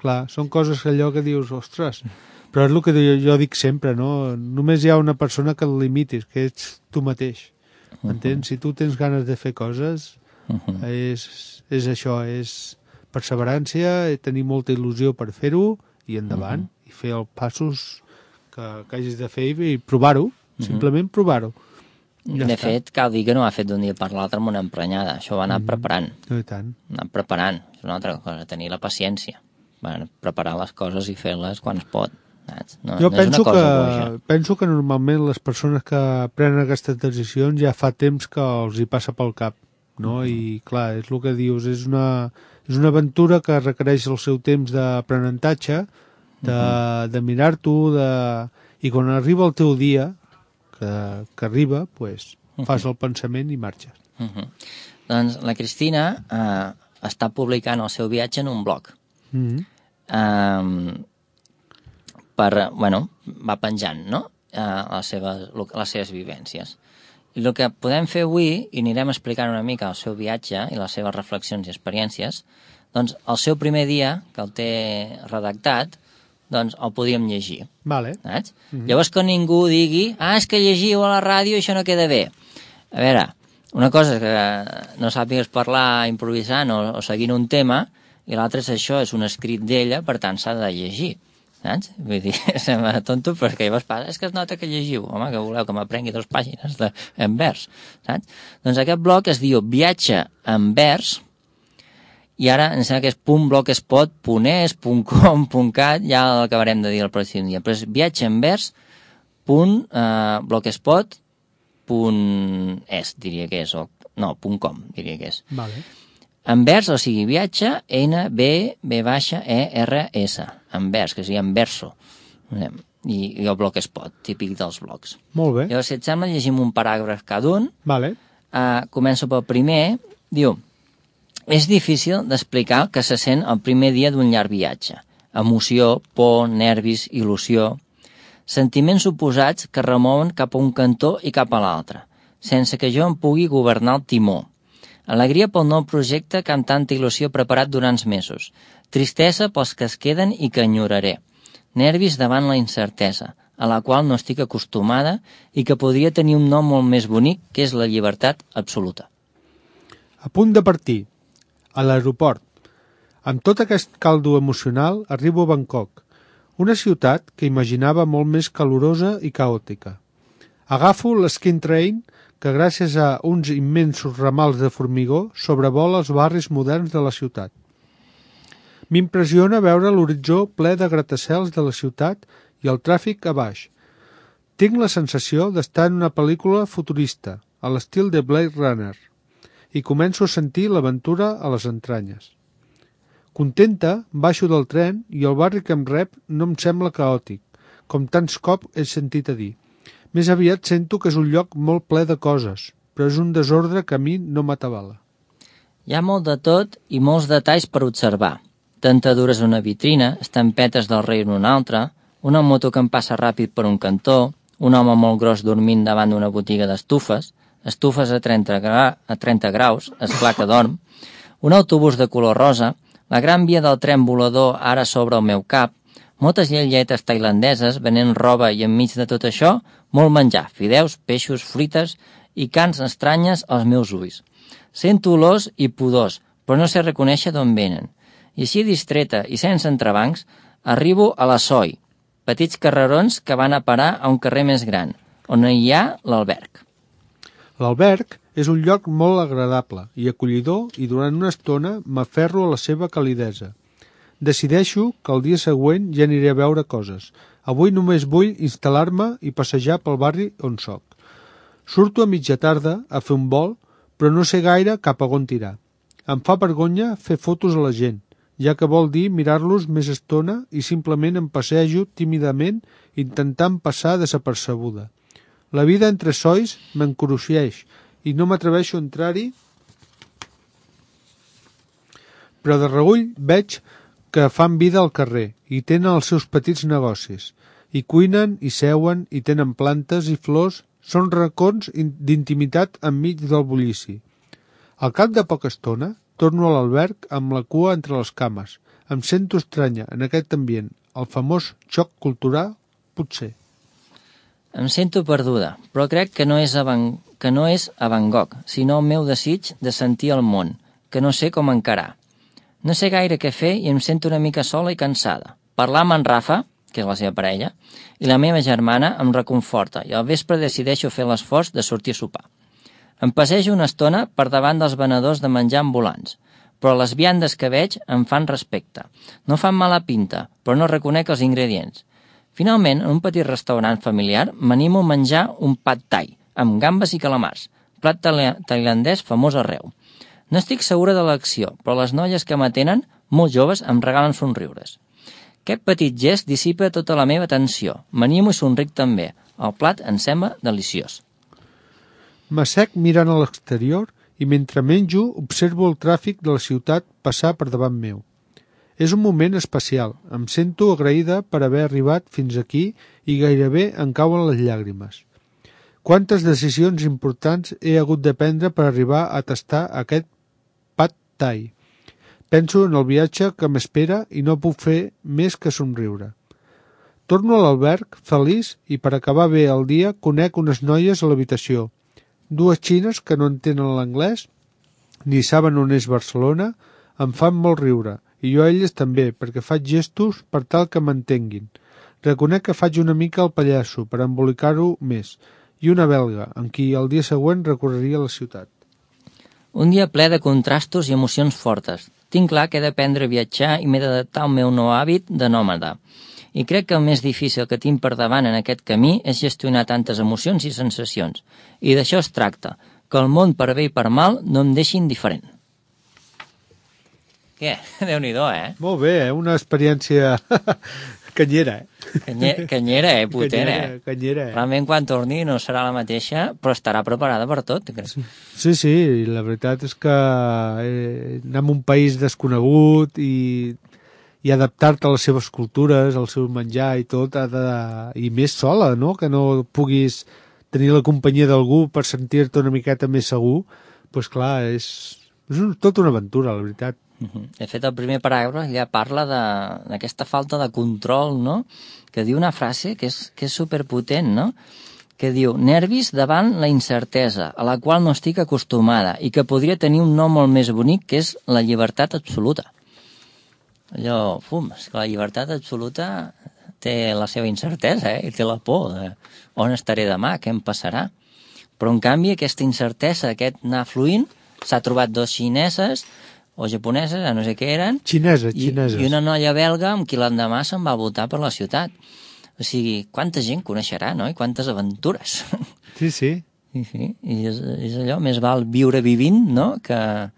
Clar, són coses allò que dius, ostres, però és el que jo dic sempre, no? Només hi ha una persona que el limitis, que ets tu mateix, m'entens? Si tu tens ganes de fer coses, és això, és perseverància, tenir molta il·lusió per fer-ho, i endavant, i fer els passos que hagis de fer i provar-ho, simplement provar-ho. Ja de fet, cal dir que no ha fet d'un dia per l'altre amb una emprenyada, això va anar preparant. I tant. Anar preparant, és una altra cosa, tenir la paciència. Preparar les coses i fer-les quan es pot. Jo penso que normalment les persones que prenen aquestes decisions ja fa temps que els hi passa pel cap, no? I clar, és el que dius, és una aventura que requereix el seu temps d'aprenentatge, de mirar-t'ho, i quan arriba el teu dia, que arriba, pues, fas el pensament i marxes. Doncs la Cristina està publicant el seu viatge en un blog. Va penjant, no? Les seves vivències. I el que podem fer avui, i anirem explicant una mica el seu viatge i les seves reflexions i experiències, doncs el seu primer dia, que el té redactat, doncs el podíem llegir. Vale. Llavors que ningú digui, és que llegiu a la ràdio i això no queda bé. A veure, una cosa és que no sàpigues parlar improvisant o seguint un tema, i l'altre és això, és un escrit d'ella, per tant s'ha de llegir, saps? Vull dir, sembla tonto, perquè llavors passa, és que es nota que llegiu, home, que voleu que m'aprengui 2 pàgines en vers, saps? Doncs aquest blog es diu Viatge en vers, i ara em sembla que és .blogspot.es, .com.cat, ja l'acabarem de dir el pròxim dia, però és viatgeanvers.blogspot.es, diria que és, .com, diria que és. Vale. Envers, o sigui, viatge, N-B-B-E-R-S, envers, que sigui enverso, i el blogspot, típic dels blogs. Molt bé. Llavors, si et sembla, llegim un paràgraf cada un. Vale. Començo pel primer. Diu, és difícil d'explicar que se sent el primer dia d'un llarg viatge. Emoció, por, nervis, il·lusió, sentiments oposats que remouen cap a un cantó i cap a l'altre, sense que jo em pugui governar el timó. Alegria pel nou projecte que amb tanta il·lusió preparat durant mesos. Tristesa pels que es queden i que enyoraré. Nervis davant la incertesa, a la qual no estic acostumada i que podria tenir un nom molt més bonic, que és la llibertat absoluta. A punt de partir, a l'aeroport. Amb tot aquest caldo emocional arribo a Bangkok, una ciutat que imaginava molt més calorosa i caòtica. Agafo l'Skin Train, que gràcies a uns immensos ramals de formigó sobrevola els barris moderns de la ciutat. M'impressiona veure l'horitzó ple de gratacels de la ciutat i el tràfic a baix. Tinc la sensació d'estar en una pel·lícula futurista, a l'estil de Blade Runner, i començo a sentir l'aventura a les entranyes. Contenta, baixo del tren i el barri que em rep no em sembla caòtic, com tants cops he sentit a dir. Més aviat sento que és un lloc molt ple de coses, però és un desordre que a mi no m'atabala. Hi ha molt de tot i molts detalls per observar. Dentadures a una vitrina, estampetes del rei en una altra, una moto que em passa ràpid per un cantó, un home molt gros dormint davant d'una botiga d'estufes, estufes a 30 graus, esclar que dorm, un autobús de color rosa, la gran via del tren volador ara sobre el meu cap, moltes lleietes tailandeses venent roba i enmig de tot això, molt menjar, fideus, peixos, fruites i cants estranyes als meus ulls. Sento olors i pudors, però no sé reconèixer d'on venen. I així distreta i sense entrebancs, arribo a la Soi, petits carrerons que van a parar a un carrer més gran, on hi ha l'alberg. L'alberg és un lloc molt agradable i acollidor i durant una estona m'aferro a la seva calidesa. Decideixo que el dia següent ja aniré a veure coses. Avui només vull instal·lar-me i passejar pel barri on soc. Surto a mitja tarda a fer un vol, però no sé gaire cap a on tirar. Em fa vergonya fer fotos a la gent, ja que vol dir mirar-los més estona i simplement em passejo tímidament intentant passar desapercebuda. La vida entre sois m'encruixeix i no m'atreveixo a entrar-hi, però de reüll veig que fan vida al carrer i tenen els seus petits negocis. I cuinen, i seuen, i tenen plantes i flors, són racons d'intimitat enmig del bullici. Al cap de poca estona, torno a l'alberg amb la cua entre les cames. Em sento estranya en aquest ambient, el famós xoc cultural, potser. Em sento perduda, però crec que no és a Van Gogh, sinó el meu desig de sentir el món, que no sé com encarar. No sé gaire què fer i em sento una mica sola i cansada. Parlar amb en Rafa, que és la seva parella, i la meva germana em reconforta i al vespre decideixo fer l'esforç de sortir a sopar. Em passejo una estona per davant dels venedors de menjar ambulants, però les viandes que veig em fan respecte. No fan mala pinta, però no reconec els ingredients. Finalment, en un petit restaurant familiar, m'animo a menjar un pad thai, amb gambes i calamars, plat tailandès famós arreu. No estic segura de l'acció, però les noies que m'atenen, molt joves, em regalen somriures. Aquest petit gest dissipa tota la meva tensió. M'animo i somric també. El plat em sembla deliciós. M'assec mirant a l'exterior i mentre menjo observo el tràfic de la ciutat passar per davant meu. És un moment especial. Em sento agraïda per haver arribat fins aquí i gairebé em cauen les llàgrimes. Quantes decisions importants he hagut de prendre per arribar a tastar aquest pad thai. Penso en el viatge que m'espera i no puc fer més que somriure. Torno a l'alberg, feliç, i per acabar bé el dia conec unes noies a l'habitació. Dues xines que no entenen l'anglès, ni saben on és Barcelona, em fan molt riure, i jo a elles també, perquè faig gestos per tal que m'entenguin. Reconec que faig una mica el pallasso per embolicar-ho més, i una belga, amb qui el dia següent recorreria la ciutat. Un dia ple de contrastos i emocions fortes. Tinc clar que he d'aprendre a viatjar i m'he d'adaptar al meu nou hàbit de nòmada. I crec que el més difícil que tinc per davant en aquest camí és gestionar tantes emocions i sensacions. I d'això es tracta, que el món per bé i per mal no em deixi indiferent. Què? Déu-n'hi-do, Molt bé, una experiència canyera, Canyera, potent, Canyera, Realment quan torni no serà la mateixa, però estarà preparada per tot, crec. Sí, la veritat és que anar a un país desconegut i adaptar-te a les seves cultures, al seu menjar i tot, i més sola, no? Que no puguis tenir la companyia d'algú per sentir-te una miqueta més segur, doncs clar, és tota una aventura, la veritat. De fet, el primer paràgraf ja parla d'aquesta falta de control, no? Que diu una frase que és superpotent, no? Que diu, nervis davant la incertesa, a la qual no estic acostumada i que podria tenir un nom molt més bonic, que és la llibertat absoluta. Allò, és que la llibertat absoluta té la seva incertesa, i té la por de on estaré demà, què em passarà. Però, en canvi, aquesta incertesa, aquest anar fluint, s'ha trobat dos xineses o japoneses, no sé què eren, xineses. I una noia belga amb qui l'endemà se'n va voltar per la ciutat. O sigui, quanta gent coneixerà, no? I quantes aventures. Sí. I és allò, més val viure vivint, no?, que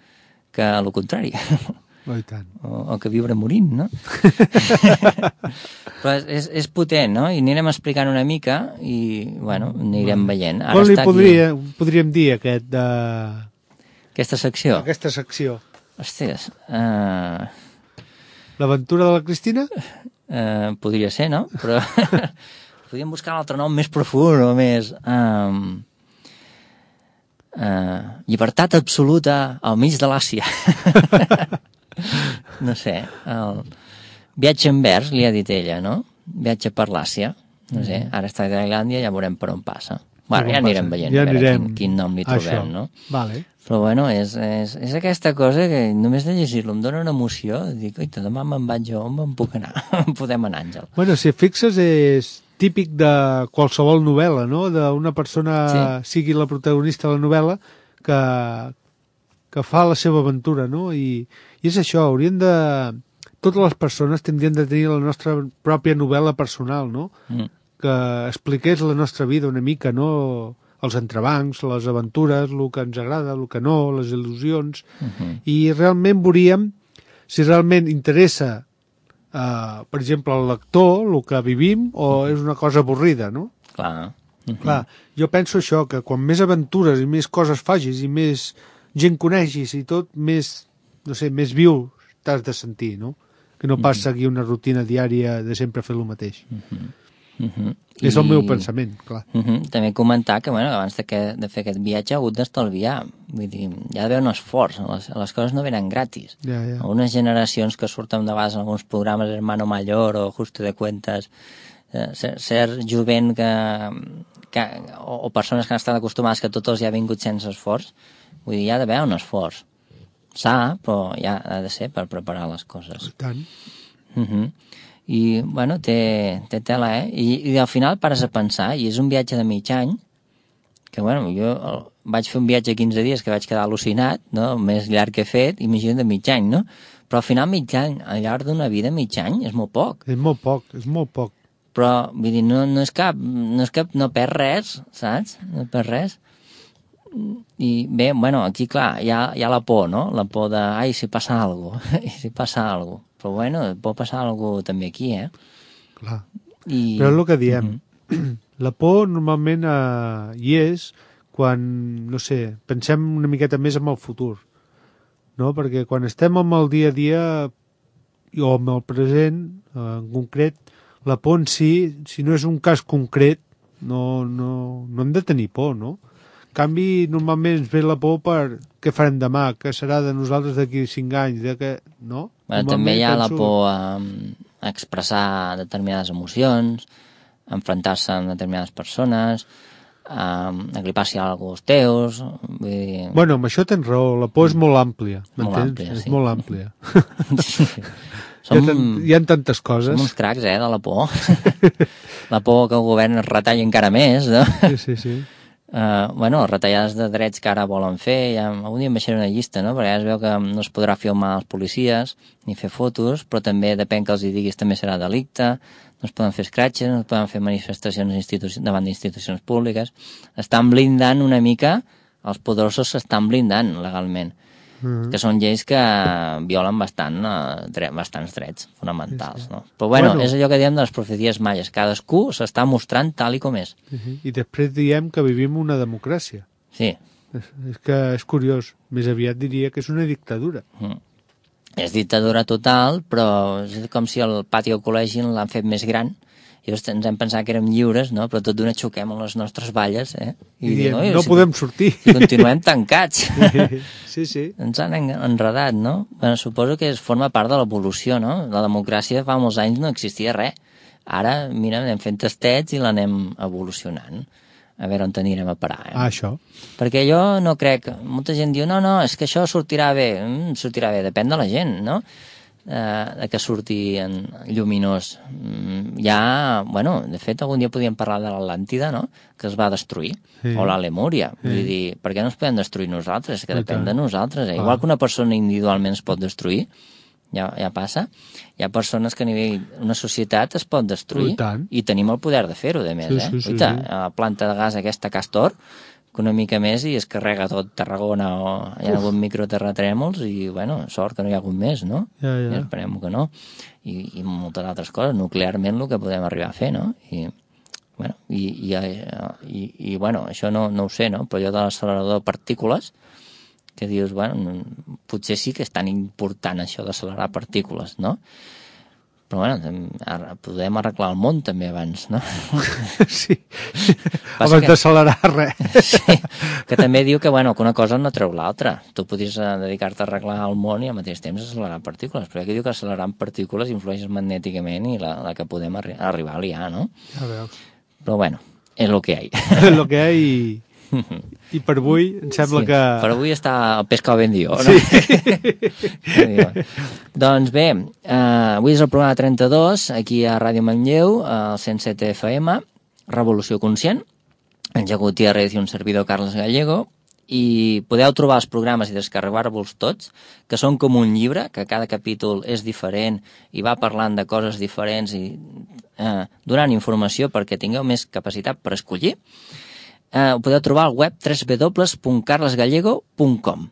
el contrari. Oh, i tant. O que viure morint, no? Però és potent, no? I anirem explicant una mica i, bueno, anirem veient. Com li podríem dir aquesta secció? Aquesta secció. Hòsties. L'aventura de la Cristina? Podria ser, no? Però podríem buscar un altre nom més profund o més... llibertat absoluta al mig de l'Àsia. No sé. Viatge en vers, li ha dit ella, no? Viatge per l'Àsia. No sé, ara està a Tailàndia, ja veurem per on passa. Bueno, ja anirem veient, ja a veure anirem quin nom li trobem, no? Vale. Però bueno, és aquesta cosa que només de llegir-lo em dóna una emoció, dic, oita, demà me'n vaig jo, on puc anar? Podem anar, Àngel. Bueno, si fixes, és típic de qualsevol novel·la, no? D'una persona, sigui la protagonista de la novel·la, que fa la seva aventura, no? I és això, totes les persones tindrien de tenir la nostra pròpia novel·la personal, no? Que expliqués la nostra vida una mica, no? Els entrebancs, les aventures, el que ens agrada, el que no, les il·lusions, i realment veuríem si realment interessa, per exemple, al lector, el que vivim, o és una cosa avorrida, no? Clar. Clar, jo penso això, que quan més aventures i més coses facis i més gent coneixis i tot, més, no sé, més viu t'has de sentir, no? Que no pas seguir una rutina diària de sempre fer el mateix. És el meu pensament, clar. També comentar que, bueno, abans de fer aquest viatge ha hagut d'estalviar. Vull dir, hi ha d'haver un esforç. Les coses no venen gratis. Algunes generacions que surten de vegades en alguns programes, Hermano Mayor o Ajuste de Cuentas, ser jovent o persones que han estat acostumades que tot els hi ha vingut sense esforç, vull dir, hi ha d'haver un esforç. S'ha, però ja ha de ser per preparar les coses. I tant. I, bueno, té tela, I al final pares a pensar, i és un viatge de mig any, que, bueno, jo vaig fer un viatge de 15 dies que vaig quedar al·lucinat, no?, el més llarg que he fet, imagina't de mig any, no? Però al final mig any, al llarg d'una vida, mig any, és molt poc. És molt poc. Però, vull dir, no perd res, saps? No perd res. I bé, bueno, aquí, clar, hi ha la por, no? La por de, ai, si passa alguna cosa. Però, bueno, pot passar alguna cosa també aquí, Clar. Però és el que diem. La por normalment hi és quan, no sé, pensem una miqueta més en el futur, no? Perquè quan estem amb el dia a dia o amb el present, en concret, la por en si no és un cas concret, no hem de tenir por, no? En canvi, normalment ens ve la por per què farem demà, què serà de nosaltres d'aquí 5 anys, no? Bueno, també hi ha la por a expressar determinades emocions, a enfrontar-se amb determinades persones, a que li passi alguna cosa als teus... Vull dir... Bueno, amb això tens raó, la por és molt àmplia, m'entens? És molt àmplia. Hi ha tantes coses. Som uns cracs, de la por. La por que el govern es retalli encara més, no? Sí. Bueno, retallades de drets que ara volen fer, algun dia em baixaré una llista, no? Perquè ja es veu que no es podrà filmar els policies ni fer fotos, però també depèn que els hi diguis també serà delicte, no es poden fer scratches, no es poden fer manifestacions davant d'institucions públiques. Estan blindant una mica, els poderosos s'estan blindant legalment, que són lleis que violen bastants drets fonamentals, no? Però bueno, és allò que diem de les profecies maies, cadascú s'està mostrant tal i com és. I després diem que vivim una democràcia. Sí. És que és curiós, més aviat diria que és una dictadura. És dictadura total, però és com si el pati del col·legi l'han fet més gran, i ens hem pensat que érem lliures, no? Però tot d'una xoquem amb les nostres valles, I diem, no podem sortir. I continuem tancats. Sí. Ens han enredat, no? Bueno, suposo que forma part de l'evolució, no? La democràcia fa molts anys no existia res. Ara, mira, anem fent tastets i l'anem evolucionant. A veure on anirem a parar, Això. Perquè jo no crec... Molta gent diu, no, és que això sortirà bé. Sortirà bé, depèn de la gent, no? De que surti lluminós. Bueno, de fet, algun dia podíem parlar de l'Atlàntida, no?, que es va destruir, o la Lemúria. Vull dir, per què no es podem destruir nosaltres? Que depèn de nosaltres. Igual que una persona individualment es pot destruir, ja passa. Hi ha persones que a nivell una societat es pot destruir i tenim el poder de fer-ho, de més. Sí. La planta de gas aquesta Castor, que una mica més i es carrega tot Tarragona o hi ha hagut microterratrèmols i, bueno, sort que no hi ha hagut més, no? Ja. I esperem que no. I moltes altres coses, nuclearment el que podem arribar a fer, no? I bueno, això no ho sé, no? Però allò de l'accelerador de partícules, que dius, bueno, potser sí que és tan important això d'accelerar partícules, no? Però, bueno, podem arreglar el món també abans, no? Sí, abans d'accelerar res. Sí, que també diu que, bueno, que una cosa no treu l'altra. Tu podries dedicar-te a arreglar el món i al mateix temps accelerar partícules, però aquí diu que accelerant partícules influeixes magnèticament i la que podem arribar a liar, no? Ja veus. Però, bueno, és el que hi ha. El que hi ha i per avui em sembla que... Per avui està el pescado vendido, no? Sí. Doncs bé, avui és el programa 32, aquí a Ràdio Manlleu, al 107 FM, Revolució Conscient, en Jaco Gutiérrez i un servidor Carles Gallego, i podeu trobar els programes i descarregar-vos tots, que són com un llibre, que cada capítol és diferent i va parlant de coses diferents i donant informació perquè tingueu més capacitat per escollir. Ho podeu trobar al web www.carlesgallego.com.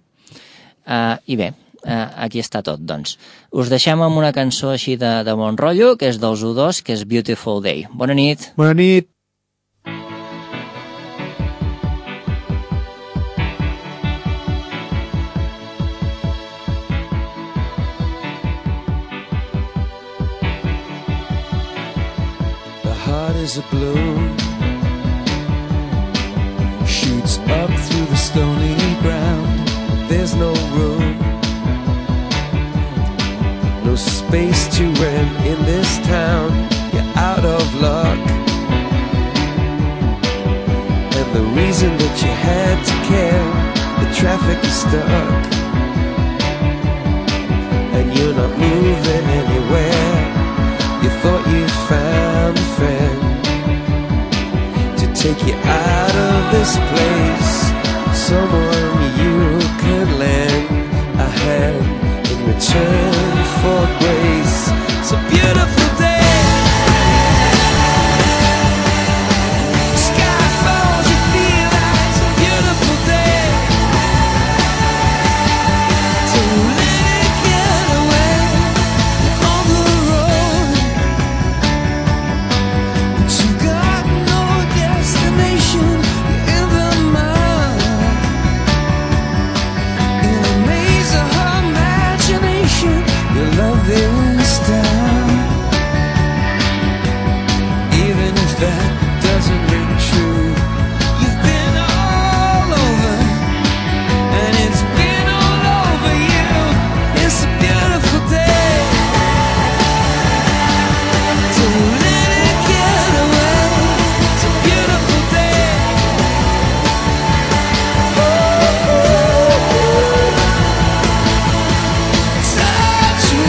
I bé, aquí està tot, doncs. Us deixem amb una cançó així de bon rotllo, que és dels U2, que és Beautiful Day. Bona nit. Bona nit. The heart is a bloom, shoots up through the stony ground. There's no room, no space to rent in this town. You're out of luck, and the reason that you had to care, the traffic is stuck, and you're not moving anywhere. You thought you found a friend to take you out of this place, someone you could lend a hand in return for grace. It's a beautiful day, sky falls, you feel like it's a beautiful day, so let it get away on the road, but you got no destination, you're in the mud, in the maze of her imagination. Your love is down, even if that doesn't ring true. You've been all over, and it's been all over you. It's a beautiful day, so let it get away. It's a beautiful day. Touch me,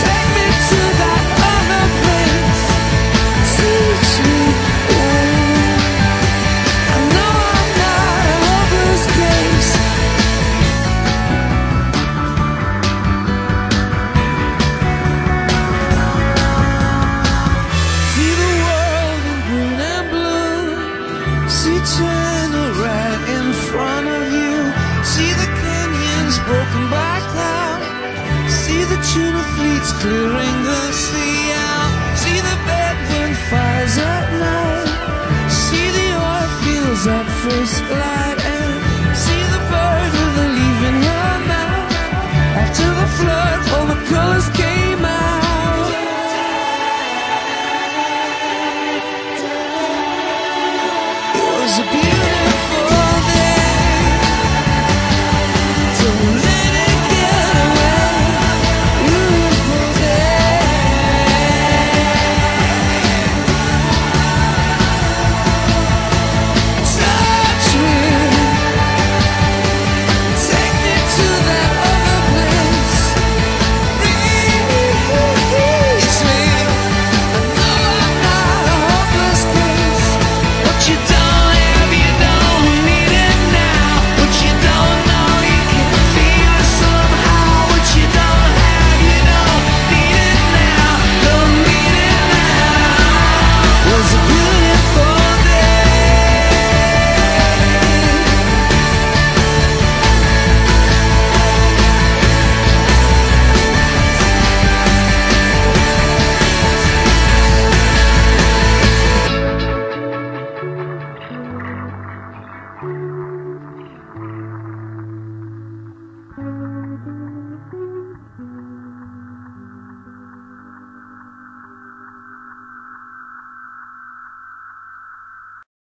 take me to that other place. Teach me, I know I'm not a hopeless case. See the world in green and blue. See China right in front of you. See the canyons broken by cloud. See the tuna fleets clearing the sea out. See the bedroom fires at night. See the oil fields at first light. And see the bird with a leaf in her mouth. After the flood, all the colors came out. It was a beautiful